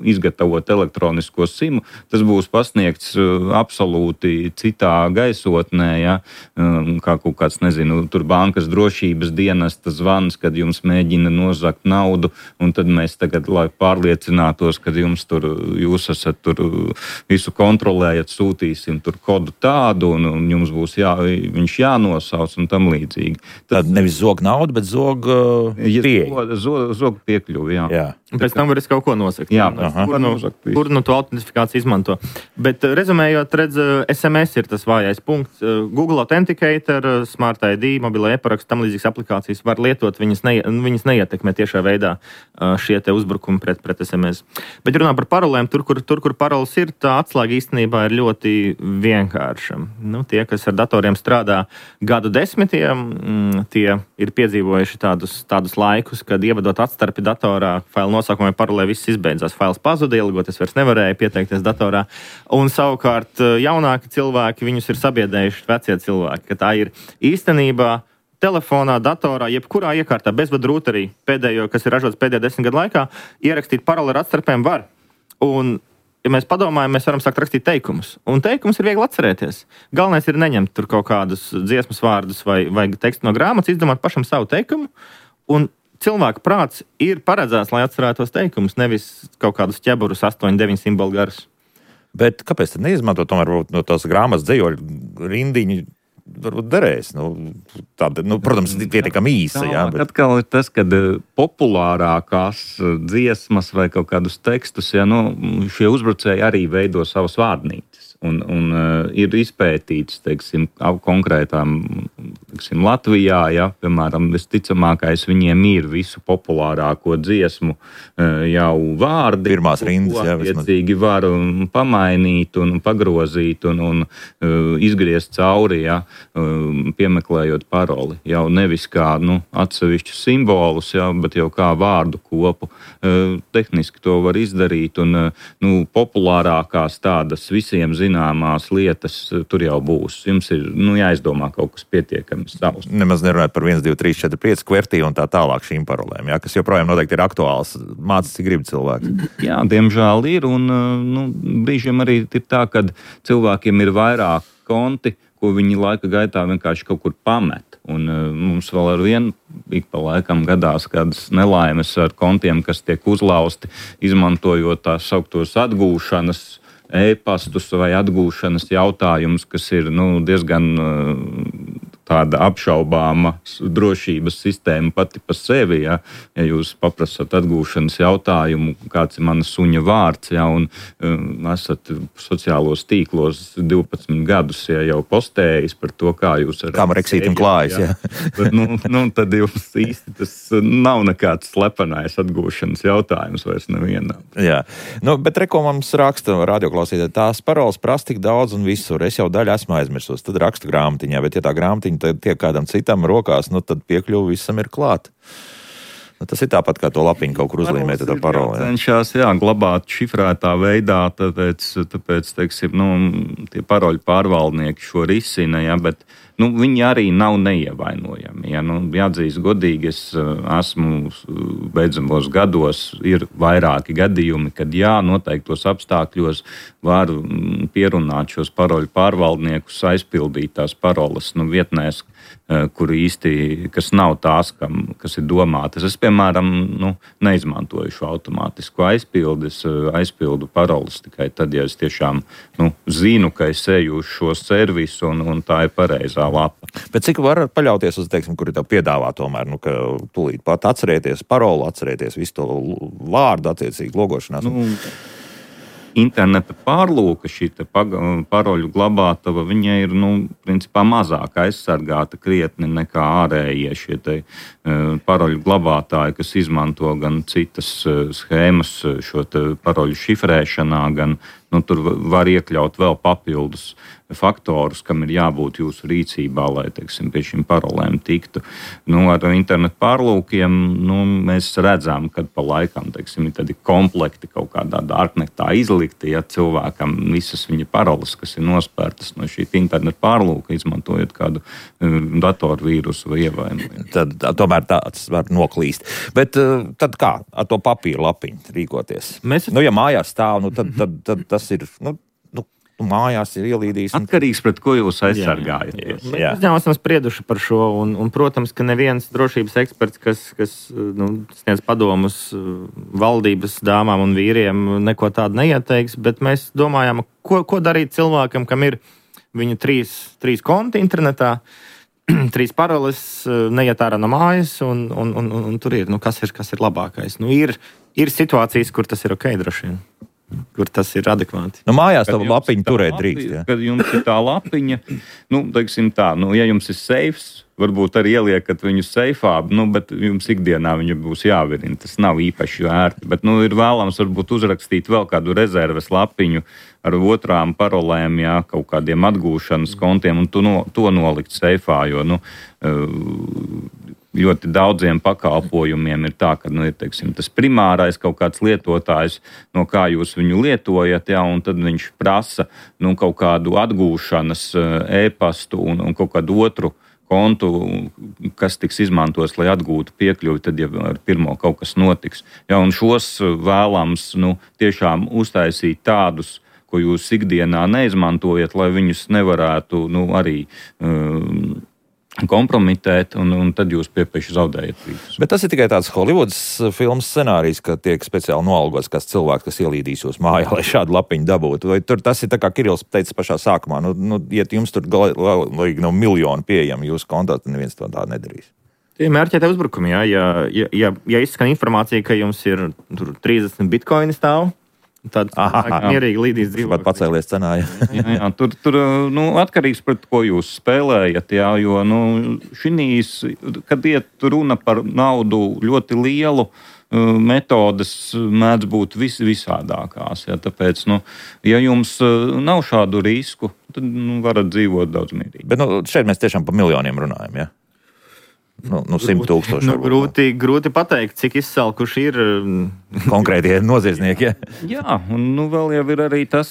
izgatavot elektronisko simu. Tas būs pasniegts absolūti citā gaisotnē, ja, kā kaut kāds, nezinu, tur bankas drošības dienesta zvans, kad jums mēģina nozagt naudu, un tad mēs tagad, lai pārliecinātos, kad jums tur, jūs esat tur visu kontrolējat, sūtīsim tur kodu tādu, un, un jums būs jā, viņš jānosauc un tam līdzīgi. Tad nevis zog naudu, bet zog uh, pieeja. Zog, zog piekļuvi, jā. jā. Pēc tam var es kaut ko nosakt. Jā, kur, nu, kur nu to autentifikāciju izmanto. Bet rezumējot, redz, S M S ir tas vājais punkts. Google Authenticator, Smart I D, mobilā e-paraksts, tam līdzīgas aplikācijas var lietot, viņas, ne, viņas neietekmē tiešā veidā šie te uzbrukumi pret, pret S M S. Bet runā par parolēm, tur, kur, tur, kur paroles ir, tā atslēga īstenībā ir ļoti vienkārša. Nu, tie, kas ar datoriem strādā gadu desmitiem, tie ir piedzīvojuši tādus, tādus laikus, kad ievadot atstarpi datorā, failu nosaukumā parolē viss izbeidzās. Fails pazuda, ielgot es vairs nevarēju pieteikties datorā. Un savukārt jaunāki cilvēki, viņus ir sabiedējuši vecie cilvēki, ka tā ir īstenībā telefonā, datorā, jebkurā iekārtā, bezvadu rūterī, pēdējo, kas ir ražots pēdējo desmit gadu laikā, ierakstīt paroli ar atstarpēm var. Un, ja mēs padomājam, mēs varam sākt rakstīt teikumus. Un teikumus ir viegli atcerēties. Galvenais ir neņemt tur kaut kādus dziesmas vārdus vai, vai tekstu no grāmatas, izdomāt pašam savu teikumu. Un cilvēka prāts ir paredzēts, lai atcerētos teikumus, nevis kaut kādus ķeburus astoņi deviņi simbolu garus. Bet kāpēc tad neizmanto tomēr no tās grāmatas dzejoļu rindiņu? Varbūt derēs. Nu, tāda, nu, protams, pietiekami īsa. Jā, bet... Atkal ir tas, kad populārākās dziesmas vai kaut kādus tekstus, ja, nu, šie uzbrucēji arī veido savas vārdnīcas. Un, un uh, ir izpētīts, teiksim, konkrētām Tiksim, Latvijā, ja, piemēram, visticamākais viņiem ir visu populārāko dziesmu jau vārdi. Pirmās rindas, jā. Attiecīgi var pamainīt un pagrozīt un, un uh, izgriezt cauri, ja, uh, piemeklējot paroli. Jau nevis kā nu, atsevišķus simbolus, ja, bet jau kā vārdu kopu. Uh, tehniski to var izdarīt un uh, nu, populārākās tādas visiem zināmās lietas uh, tur jau būs. Jums ir nu, jāizdomā kaut kas pietiekami. Nemaz nerunājot par viens, divi, trīs, četri, pieci kvertī un tā tālāk šīm parolēm, ja, kas joprojām noteikti ir aktuāls. Mācas, cik grib cilvēks. Jā, diemžēl ir, un nu, brīžiem arī ir tā, ka cilvēkiem ir vairāk konti, ko viņi laika gaitā vienkārši kaut kur pamet. Un uh, mums vēl ar vienu ik pa laikam gadās kādas nelaimes ar kontiem, kas tiek uzlausti, izmantojot tās sauktos atgūšanas e-pastus vai atgūšanas jautājumus, kas ir nu, diezgan uh, tāda apšaubāma drošības sistēma pati pa sevi. Ja, ja jūs paprasat atgūšanas jautājumu, kāds ir mana suņa vārds, ja, un um, esat sociālos tīklos divpadsmit gadus, ja jau postējis par to, kā jūs ar... Kā man reksītim klājas, ja. Bet, nu, nu, tad jums īsti tas nav nekāds slepenais atgūšanas jautājums vairs nevienam. Jā, nu, bet reko mums raksta radioklausītāji, tās paroles prasa tik daudz un visur. Es jau daļu esmu aizmirsus, tad rakstu grāmatiņā, bet ja tā grāmatiņa tad tiek kādam citam rokās, nu tad piekļuvi visam ir klāt. Nu, tas ir tāpat, kā to lapiņu kaut kur uzlīmēt, tā parole. Jā, cenšās, jā, glabāt šifrētā veidā, tāpēc, tāpēc teiksim, nu, tie paroļu pārvaldnieki šo risina, jā, bet nu, viņi arī nav neievainojami. Ja? Nu, jāatzīst godīgi, es esmu beidzamos gados, ir vairāki gadījumi, kad jā, noteiktos apstākļos var pierunāt šos paroļu pārvaldniekus, aizpildīt tās paroles nu, vietnēs, kur īsti, kas nav tās, kam, kas ir domātas. Es, piemēram, nu, neizmantoju šo automātisku aizpildi, es aizpildu paroles tikai tad, ja es tiešām nu, zinu, ka es eju uz šo servisu un, un tā ir pareizā lapa. Bet cik var paļauties uz, teiksim, kuri tev piedāvā tomēr, nu, ka tūlīt pat atcerēties parolu, atcerēties visu to vārdu attiecīgi logošanās? Nu, interneta pārlūka, šī paroļu glabātava, viņa ir, nu, principā mazāk aizsargāta krietni nekā ārējie šie te uh, paroļu glabātāji, kas izmanto gan citas uh, schēmas šo te paroļu šifrēšanā, gan nu, tur var iekļaut vēl papildus faktorus, kam ir jābūt jūsu rīcībā, lai, teiksim, pie šīm parolēm tiktu. Nu, ar internetu pārlūkiem nu, mēs redzam, kad pa laikam, teiksim, ir tādi komplekti kaut kādā darknetā izlikti, ja cilvēkam visas viņa paroles, kas ir nospērtas no šī internetu pārlūka, izmantojot kādu um, datorvīrusu vai ievainojumu. Tad tomēr tāds var noklīst. Bet tad kā ar to papīru lapiņu rīkoties? Mēs... Nu, ja mājās stāv, nu, tad, tad, tad tas ir... Nu, mājās ir ielīdījis. Un... Atkarīgs pret ko jūs aizsargājaties. Mēs uzņēmums esam sprieduši par šo, un, un, protams, ka neviens drošības eksperts, kas, kas nu, sniedz padomus valdības dāmām un vīriem, neko tādu neieteiks, bet mēs domājam, ko, ko darīt cilvēkam, kam ir viņu trīs, trīs konti internetā, trīs paroles, neiet ārā no mājas, un, un, un, un, un tur ir, nu, kas ir, kas ir labākais. Nu, ir, ir situācijas, kur tas ir ok, droši vien. Kur tas ir adekvāti. Nu, mājās tā lapiņa turēt drīkst. Ja? Kad jums ir tā lapiņa, nu, teiksim tā, nu, ja jums ir seifs, varbūt arī ieliekat viņu seifā, nu, bet jums ikdienā viņa būs jāvirina. Tas nav īpaši vērti, bet, nu, ir vēlams varbūt uzrakstīt vēl kādu rezerves lapiņu ar otrām parolēm, jā, kaut kādiem atgūšanas kontiem un to, no, to nolikt seifā, jo, nu, ļoti daudziem pakalpojumiem ir tā, ka nu, ir teiksim, tas primārais kaut kāds lietotājs, no kā jūs viņu lietojat, ja, un tad viņš prasa nu, kaut kādu atgūšanas e-pastu un, un kaut kādu otru kontu, kas tiks izmantos, lai atgūtu piekļuvi, tad ja ar pirmo kaut kas notiks. Ja, un šos vēlams nu, tiešām uztaisīt tādus, ko jūs ikdienā neizmantojat, lai viņus nevarētu nu, arī um, kompromitēt, un, un tad jūs piepieši zaudējat līdzes. Bet tas ir tikai tāds Holivudas filmas scenārijs, ka tiek speciāli noalgots kāds cilvēks, kas ielīdīs jūs mājā, lai šādu lapiņu dabūtu. Vai tur tas ir tā kā Kirills teica pašā sākumā, nu, nu ja jums tur galīgi nav miljonu pieejami jūsu kontā, tad neviens to tā nedarīs. Tie mērķētie uzbrukumi, jā. Ja, ja, ja, ja izskan informācija, ka jums ir tur trīsdesmit bitkoini stāv, Tāda mierīga līdīs dzīvokļi. Pat pacēlies cenā, jā. jā, jā, tur, tur nu, atkarīgs pret ko jūs spēlējat, jā, jo, nu, šinīs, kad iet runa par naudu ļoti lielu, metodes mēdz būt vis, visādākās. Ja, tāpēc, nu, ja jums nav šādu risku, tad nu, varat dzīvot daudz mierīgi. Bet nu, šeit mēs tiešām par miljoniem runājam, ja? Nu, nu simt tūkstoši. Nu, grūti, grūti pateikt, cik izsalkuši ir konkrētie noziedznieki. Ja? Jā, un nu, vēl jau ir arī tas,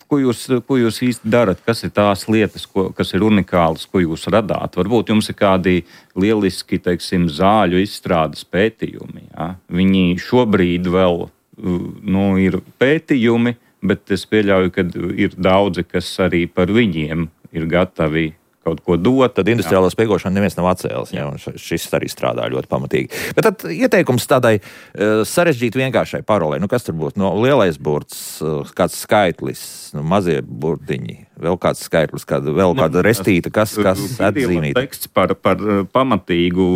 ko jūs, ko jūs īsti darat, kas ir tās lietas, ko, kas ir unikālas, ko jūs radāt. Varbūt jums ir kādi lieliski, teiksim, zāļu izstrādes pētījumi. Ja? Viņi šobrīd vēl nu, ir pētījumi, bet es pieļauju, ka ir daudzi, kas arī par viņiem ir gatavi kaut ko dot. Tad industriālo spiegošanu neviens nav atcēlis, ja, un šis arī strādā ļoti pamatīgi. Bet tad ieteikums tādai uh, sarežģīti vienkāršai parolē. Nu, kas tur būtu? No, lielais burts, uh, kāds skaitlis, nu, mazie burtiņi, vēl kāds skaitlis, kāda, vēl kāda restīta, kas, kas atzīmīta. Teksts par, par pamatīgu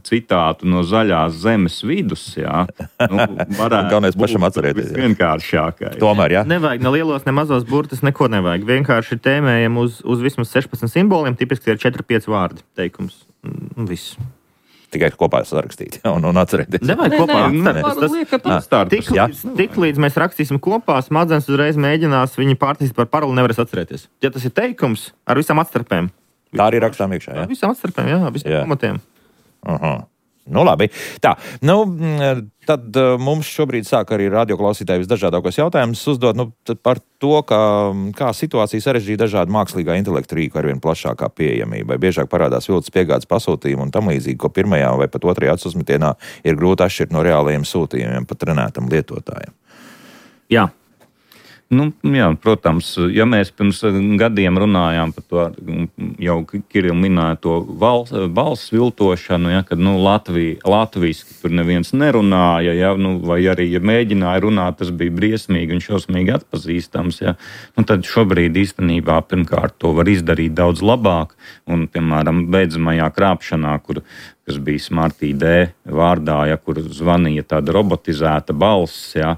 citātu no zaļās zemes vidus, jā. Nu, galvenais pašam atcerēties. Vienkāršākais. Tomēr, jā. Nevajag ne lielos, ne mazos burtus, neko nevajag. Vienkārši tēmējam uz, uz vismaz sešpadsmit simboliem. Tipiski ir četri pieci vārdi teikums. Un viss. Tikai kopā sarakstīt un, un atcerēties. Nevajag kopā. Tik līdz mēs rakstīsim kopā, smadzenes uzreiz mēģinās viņi pārtīst par paroli, nevarēs atcerēties. Ja tas ir teikums ar visām atstarpēm. Tā arī rakstām iekšā, jā? Ar visām atstarpēm, jā, visām pamatiem. Aha. Nu, labi. Tā, nu, tad mums šobrīd sāk arī radioklausītāji visdažādākos jautājumus uzdot nu, par to, kā, kā situācija sarežģīja dažādu mākslīgā intelekta rīku arvien plašākā pieejamība. Biežāk parādās viltus piegādes pasūtījumi un tam līdzīgi, ko pirmajā vai pat otrajā acu uzmetienā ir grūti atšķirt no reālajiem sūtījumiem pat trenētam lietotājiem. Jā. Nu, jā, protams, ja mēs pirms gadiem runājām par to, jau Kiril minēja to valsts, balss viltošanu, ja, kad nu, Latvija, latviski tur neviens nerunāja, ja, nu, vai arī, ja mēģināja runāt, tas bija briesmīgi un šausmīgi atpazīstams. Ja. Nu, tad šobrīd īstenībā pirmkārt to var izdarīt daudz labāk, un, piemēram, beidzamajā krāpšanā, kur kas bija Smart I D vārdā, ja, kur zvanīja tāda robotizēta balss, ja,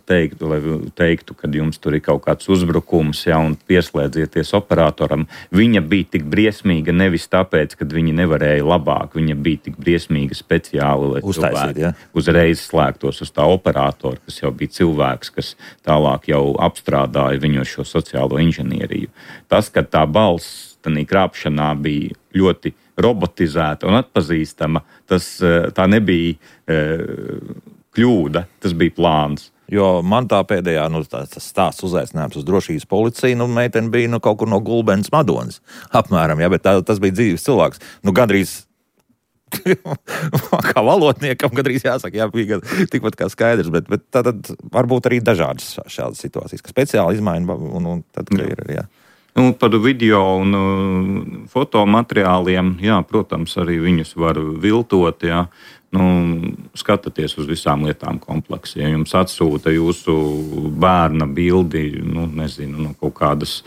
teiktu, lai teiktu, kad jums tur ir kaut kāds uzbrukums, ja, un pieslēdzieties operatoram. Viņa bija tik briesmīga nevis tāpēc, ka viņi nevarēja labāk, viņa bija tik briesmīga speciāli, lai uztaisīt, ja. Uzreiz slēgtos uz tā operatora, kas jau bija cilvēks, kas tālāk jau apstrādāja viņu šo sociālo inženieriju. Tas, ka tā balss tādā krāpšanā bija ļoti robotizēta un atpazīstama, tas, tā nebija e, kļūda, tas bija plāns. Jo man tā pēdējā, nu, tā, tas stāsts uzaicinājums uz drošības policiju, nu, meitene bija nu, kaut kur no Gulbenes Madonas, apmēram, ja, bet tā, tas bija dzīves cilvēks. Nu, gandrīz kā valodniekam, gandrīz jāsaka, jā, bija tikpat kā skaidrs, bet, bet tad varbūt arī dažādas šādas situācijas, ka speciāli izmaiņa un, un tad, ka ir, jā. Nu, par video un uh, fotomateriāliem, jā, protams, arī viņus var viltot, jā. Nu, skatieties uz visām lietām kompleksi. Ja jums atsūta jūsu bērna bildi, nu, nezinu, no kaut kādas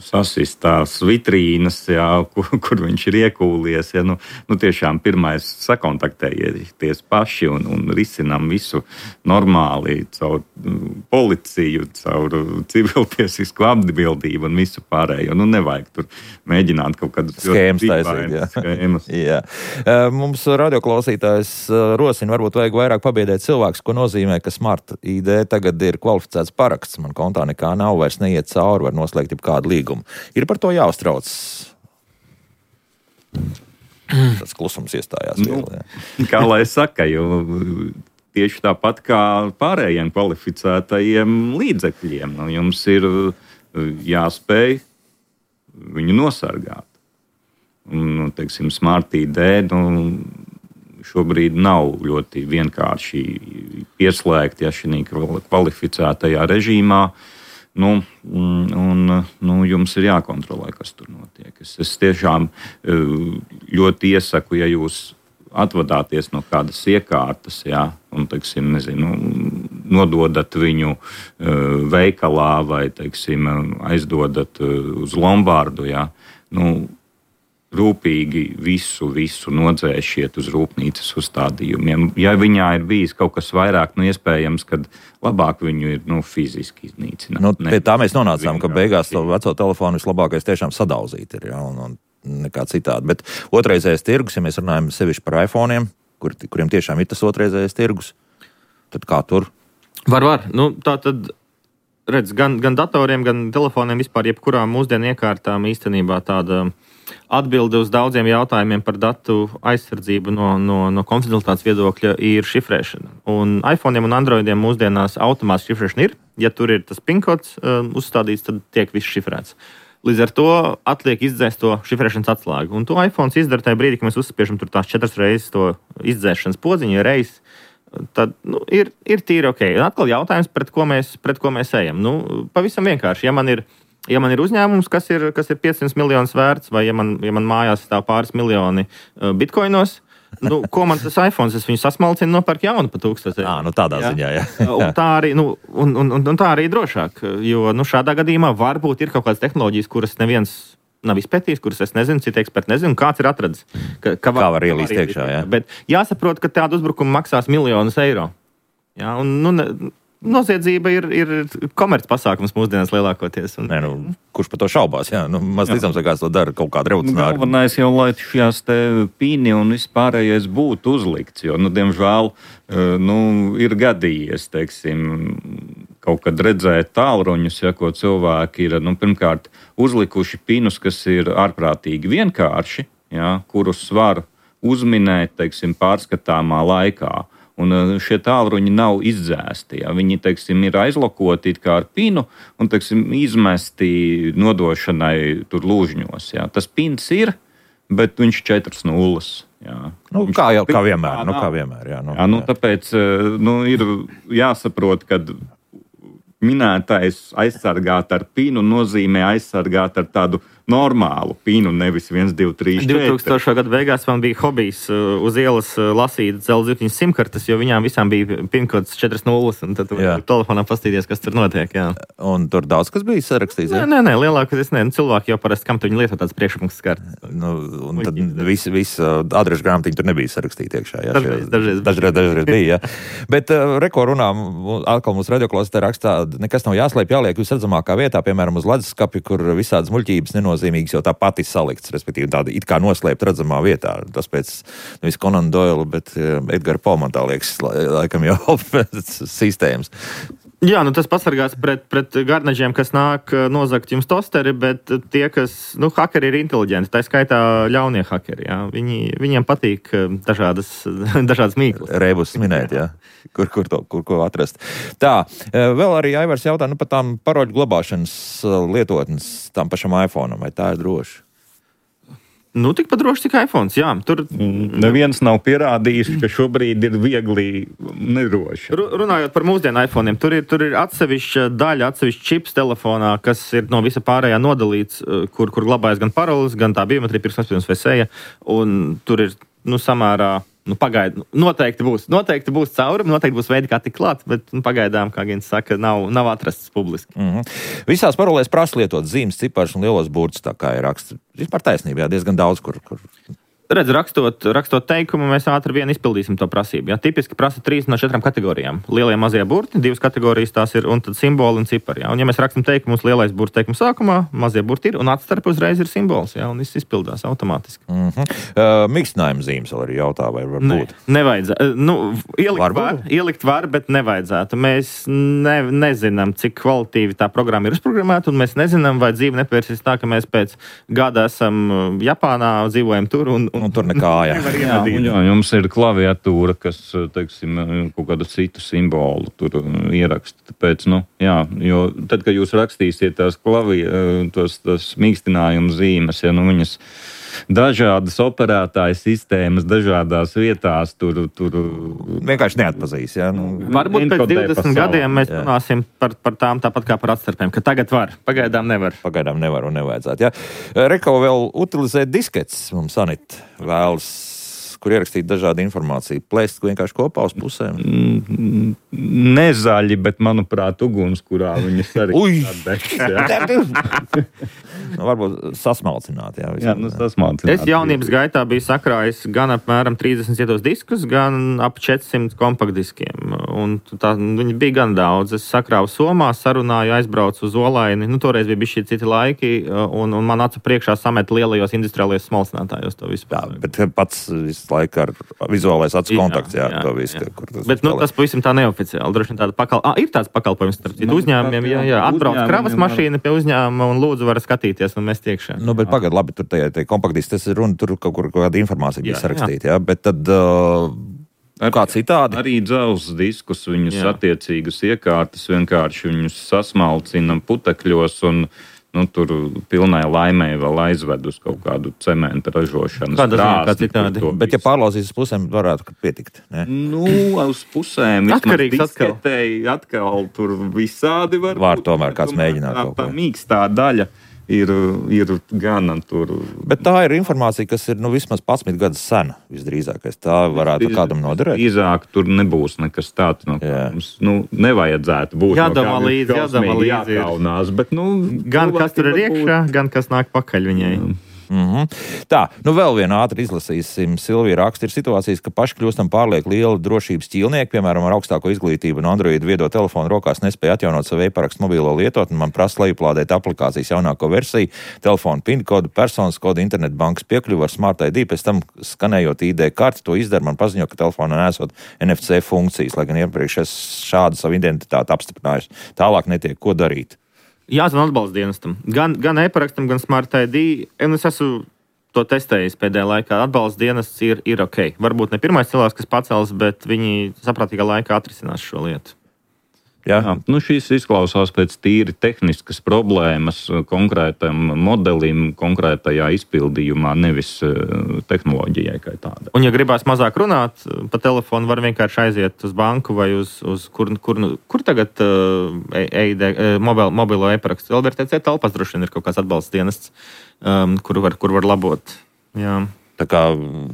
sasistās vitrīnas, jā, kur, kur viņš ir iekūlies. Ja, nu, nu, tiešām pirmais sakontaktējieties paši un, un risinām visu normāli caur policiju, caur civiltiesisku atbildību un visu pārējo. Nu, nevajag tur mēģināt kaut kādas skēmas taisīt. Jā. Skēmas. Jā. Mums radioklausītājs rosina, varbūt vajag vairāk pabiedēt cilvēks, ko nozīmē, ka Smart I D tagad ir kvalificēts paraksts. Man kontā nekā nav, vairs neiet cauri, var noslēgt kādu līgumu. Ir par to jāuztrauc. Tas klusums iestājās. Nu, vēl, kā lai saka, jo tieši tāpat kā pārējiem kvalificētajiem līdzekļiem, nu, jums ir jāspēj viņu nosargāt. Un, teiksim, Smart I D, nu, šobrīd nav ļoti vienkārši pieslēgt, ja šī kvalificētajā režīmā. Nu, un, nu, jums ir jākontrolē, kas tur notiek. Es, es tiešām ļoti iesaku, ja jūs atvadāties no kādas iekārtas, jā, un, teiksim, nezinu, nododat viņu veikalā vai, teiksim, aizdodat uz Lombardu, jā, nu, rūpīgi visu, visu nodzēšiet uz rūpnīcas uzstādījumiem. Ja viņā ir bijis kaut kas vairāk, nu iespējams, kad labāk viņu ir nu, fiziski iznīcināt. Nu, pie tā mēs nonācām, ka beigās to veco telefonu vislabākais tiešām sadauzīt ir, ja, un, un nekā citādi. Bet otrreizējais tirgus, ja mēs runājam sevišķi par iPhone'iem, kur, kuriem tiešām ir tas otrreizējais tirgus, tad kā tur? Var, var. Nu, tā tad... Redz, gan, gan datoriem, gan telefoniem, vispār jebkurām mūsdienu iekārtām īstenībā tāda atbilde uz daudziem jautājumiem par datu aizsardzību no, no, no konfidencialitātes viedokļa ir šifrēšana. Un iPhone'iem un Androidiem mūsdienās automātiski šifrēšana ir. Ja tur ir tas pinkods uh, uzstādīts, tad tiek viss šifrēts. Līdz ar to atliek izdzēst to šifrēšanas atslēgu. Un to iPhone izdara tajā brīdī, kad mēs uzspiežam tur tās četras reizes to izdzēšanas podziņu reizes. Tad nu, ir, ir tīri ok. Un atkal jautājums, pret ko mēs, pret ko mēs ejam. Nu, pavisam vienkārši. Ja man ir, ja man ir uzņēmums, kas ir, kas ir piecsimt miljonus vērts, vai ja man, ja man mājās stāv pāris miljoni uh, bitkoinos, nu, ko man tas iPhone, es viņu sasmalcinu, nopērku jaunu pa tūkstoti. Ā, nu tādā jā. ziņā, jā. un, tā arī, nu, un, un, un, un tā arī drošāk. Jo nu, šādā gadījumā varbūt ir kaut kādas tehnoloģijas, kuras neviens nav izpētījis, kuras es nezinu, citi eksperti nezinu, kāds ir atradzis. Ka, ka var, Kā var ielīst iekšā, jā. Bet jāsaprot, ka tāda uzbrukuma maksās miljonus eiro. Jā, un, nu, noziedzība ir, ir komerc pasākums mūsdienās lielākoties. Un... Nē, nu, kurš par to šaubās, jā? Nu, maz ticams, ka kāds to dara kaut kāda revolucionāra. Galvenais jau, lai šīs te pīni un vispārējais būtu uzlikts, jo, nu, diemžēl, nu, ir gadījies, teiksim, kaut kad redzēt tālruņus, ja, ko cilvēki ir, nu, pirmkārt, uzlikuši pinus, kas ir ārprātīgi vienkārši, ja, kurus var uzminēt, teiksim, pārskatāmā laikā. Un šie tālruņi nav izdzēsti. Ja. Viņi, teiksim, ir aizlokoti it kā ar pinu un, teiksim, izmesti nodošanai tur lūžņos. Ja. Tas pins ir, bet viņš četras nulles. Jā. Nu, kā, jau, kā vienmēr. Nu, kā vienmēr jā, nu, jā, nu, tāpēc nu, ir jāsaprot, ka minētais aizsargāt ar pinu nozīmē aizsargāt ar tādu normālu pinu, nevis viens, divi, trīs, četri. divtūkstošā gada beigās man bija hobijs uz ielas lasīt dzelzceļa simkartes, jo viņām visām bija pinkods četras nulles, un tad telefonā pastīties, kas tur notiek. Jā. Un tur daudz kas bija sarakstīts? Nē, nē, nē lielākoties nē. Nu, cilvēki jau parasti, kam tu viņi lieto tāds priekšpunkts kartes. Nu, un tad viss vis, adrešu grāmatiņi tur nebija sarakstīti iekšā. Jā, dažreiz, dažreiz, dažreiz, dažreiz bija, jā. Bet uh, reko runā, atkal mūsu radioklausītājā rakstā, nekas nav jāslēp, jāliek visredzamākā vietā, piemēram, uz leduskapja, kur visādas muļķības nenozīmīgas, jo tā pati salikts, respektīvi tāda it kā noslēpt redzamā vietā. Tas pēc nevis Conan Doyle, bet uh, Edgara Poe, man tā liekas, laikam jau pēc sistēmas. Jā, nu tas pasargās pret, pret garnaģiem, kas nāk nozagt jums tosteri, bet tie, kas, nu, hakeri ir inteliģenti, tā skaitā ļaunie hakeri, jā. Viņi, viņiem patīk dažādas, dažādas mīklas. Rēbus minēt, jā. Kur, kur, to, kur ko atrast. Tā, vēl arī Aivars jautā, nu, par tām paroļu glabāšanas lietotnes tam pašam iPhone'am, vai tā ir droši? Nu, tikpat droši, cik iPhones, jā. Tur neviens nav pierādījis, ka šobrīd ir viegli nedroši. Runājot par mūsdienu iPhone'iem, tur ir, tur ir atsevišķa daļa, atsevišķa čips telefonā, kas ir no visa pārējā nodalīts, kur, kur glabājas gan paroles, gan tā biometrija, pirksts nospiedums vai seja, un tur ir, nu, samērā, nu, pagaid, noteikti būs, noteikti būs caurumi, noteikti būs veidi, kā tik klāt, bet, nu, pagaidām, kā Gins saka, nav, nav atrasts publiski. Mm-hmm. Visās parolēs prasa lietot zīmes, cipars un lielos burtus, tā kā ir raksts. Vispār taisnība, jā, diezgan daudz, kur... kur... Redz, rakstot, rakstot teikumu, mēs ātri vien izpildīsim to prasību. Jā, tipiski prasa trīs no četrām kategorijām. Lielie mazie burti, divas kategorijas tās ir, un tad simboli un cipari. Jā. Un ja mēs rakstam teikumu, mums lielais burts teikuma sākumā, mazie burti ir, un atstarp uzreiz ir simbols, jā, un viss izpildās automātiski. Mm-hmm. Uh, Mikstinājuma zīmes vēl arī jautā, vai var ne, būt? Nevajadzētu. Nu, ielikt var, ielikt var, bet nevajadzētu. Mēs ne, nezinām, cik kvalitīvi tā programma ir uzprogrammēta, un mēs nezinām, vai dzīve nepērsīs tā, ka mēs pēc gada esam Japānā, dzīvojam tur un, un Un tur nekā, jā. jā, jā, jums ir klaviatūra, kas, teiksim, kaut kādu citu simbolu tur ieraksta. Tāpēc, nu, jā, jo tad, kad jūs rakstīsiet tās klavi, tos, tos mīkstinājuma zīmes, ja, nu, viņas dažādas operētāju sistēmas, dažādās vietās tur... tur... Vienkārši neatpazīs, jā. Nu, varbūt pēc divdesmit gadiem mēs runāsim par, par tām tāpat kā par atstarpēm, ka tagad var, pagaidām nevar. Pagaidām nevar un nevajadzētu, jā. Reko vēl utilizēt diskets, mums Anita vēlas kur ierakstīt dažādu informāciju. Plēst vienkārši kopā uz pusēm. Mm, nezaļi, bet, manuprāt, uguns, kurā viņas arī atdegs. Nu, varbūt sasmalcināt, jā. Jā, nu sasmalcināt. Es jaunības gaitā biju sakrājis gan apmēram trīsdesmit cietos diskus, gan ap četrsimt kompaktdiskiem. Un tā, viņi bija gan daudz. Es sakrāvu somā, sarunāju, aizbraucu uz Olaini. Nu, toreiz bija bišķi citi laiki, un, un man acu priekšā samet lielajos industriālajos smalcinātājos to visu. Jā, bet pats visu laiku ar vizuālais acu kontakts, jā, jā, to visu. Jā. Kur tas bet, nu, tas pavisam tā neoficiāli. Droši vien tāda pakal... ah, ir tāds pakalpojums starp citu uzņēmumiem, jā, jā. Atbrauc kravas mašīna pie uzņēmuma un lūdzu var skatīties un mest iekšā. Nu, bet pagad, labi, tur tajā tie kompaktdiski, tas ir runa, tur kaut kur kāda informācija bija sarakstīta, jā. jā, bet tad uh, kā citādi? Arī dzelzs diskus, viņus jā. Attiecīgas iekārtas, vienkārši viņus sasmalcina putekļos un nu, tur pilnai laimē vēl aizved uz kaut kādu cementa ražošanas krāsni. Bet, ja pārlauzīs uz pusēm, varētu pietikt, ne? Nu, uz pusēm. Atkarīgs atkal. Atkal tur visādi var. Var tomēr kāds mēģināt kaut ko. Tā mīkstā daļa ir, ir gana tur. Bet tā ir informācija, kas ir nu, vismaz padsmit gadus sena, visdrīzākais. Tā varētu Iz, kādam noderēt. Drīzāk tur nebūs nekas tāds, no kā mums nu, nevajadzētu būt. Jādama no līdzi, jādama līdzi. Jākaunās, bet, nu, gan kas tur ir iekšā, gan kas nāk pakaļ viņai. Jā. Mm-hmm. Tā, nu vēl vienu ātri izlasīsim. Silvija raksta, ir situācijas, ka paši kļūstam pārlieku liela drošības ķīlnieki, piemēram, ar augstāko izglītību un Android viedo telefonu rokās nespēja atjaunot savu e-parakstu mobilo lietotni, man prasa lejuplādēt aplikācijas jaunāko versiju, telefonu PIN kodu, personas kodu, internetbankas piekļuvu ar Smart I D, pēc tam skanējot I D karti, to izdara, man paziņo, ka telefonā nesot N F C funkcijas, lai gan iepriekš es šādu savu identitāti apstiprinājusi. Tālāk netiek, ko darīt. Jāzvan atbalsta dienestam. Gan, gan e-parakstam, gan Smart I D. Un es esmu to testējis pēdējā laikā. Atbalsta dienests ir, ir ok. Varbūt ne pirmais cilvēks, kas pacels, bet viņi saprātīgā laikā atrisinās šo lietu. Jā, nu šīs izklausās pēc tīri tehniskas problēmas konkrētam modelim, konkrētajā izpildījumā, nevis tehnoloģijai kā tādai. Un, ja gribās mazāk runāt, pa telefonu var vienkārši aiziet uz banku vai uz, uz kur, kur, kur tagad uh, e, e, mobil, mobilo e-parakstu. L B R T C telpās droši vien ir kaut kāds atbalsts dienests, um, kur, var, kur var labot. Jā. Tā kā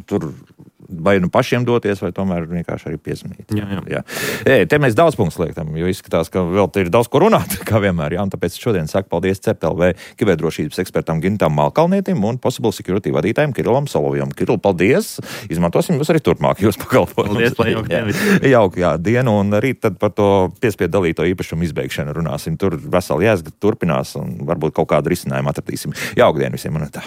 tur vai nu pašiem doties, vai tomēr vienkārši arī piezvanīt. Jā, jā. Jā. E, te mēs daudz punktus liekam, jo izskatās, ka vēl te ir daudz ko runāt, kā vienmēr. Jā, un tāpēc šodien saku paldies C E P T L V kiberdrošības ekspertam Gintam Malkalnietim un Possible Security vadītājiem Kirillam Solovjam. Kiril, paldies! Izmantosim jūs arī turpmāk jūs pakalpojumus. Paldies, lai jauka diena. Jauka, jā, dienu, un rīt tad par to piespiedu dalīto īpašumu izbeigšanu runāsim. Tur veseli jāsgat turpinās un varbūt kaut kādu risinājumu atradīsim. Jauka diena visiem, un tā.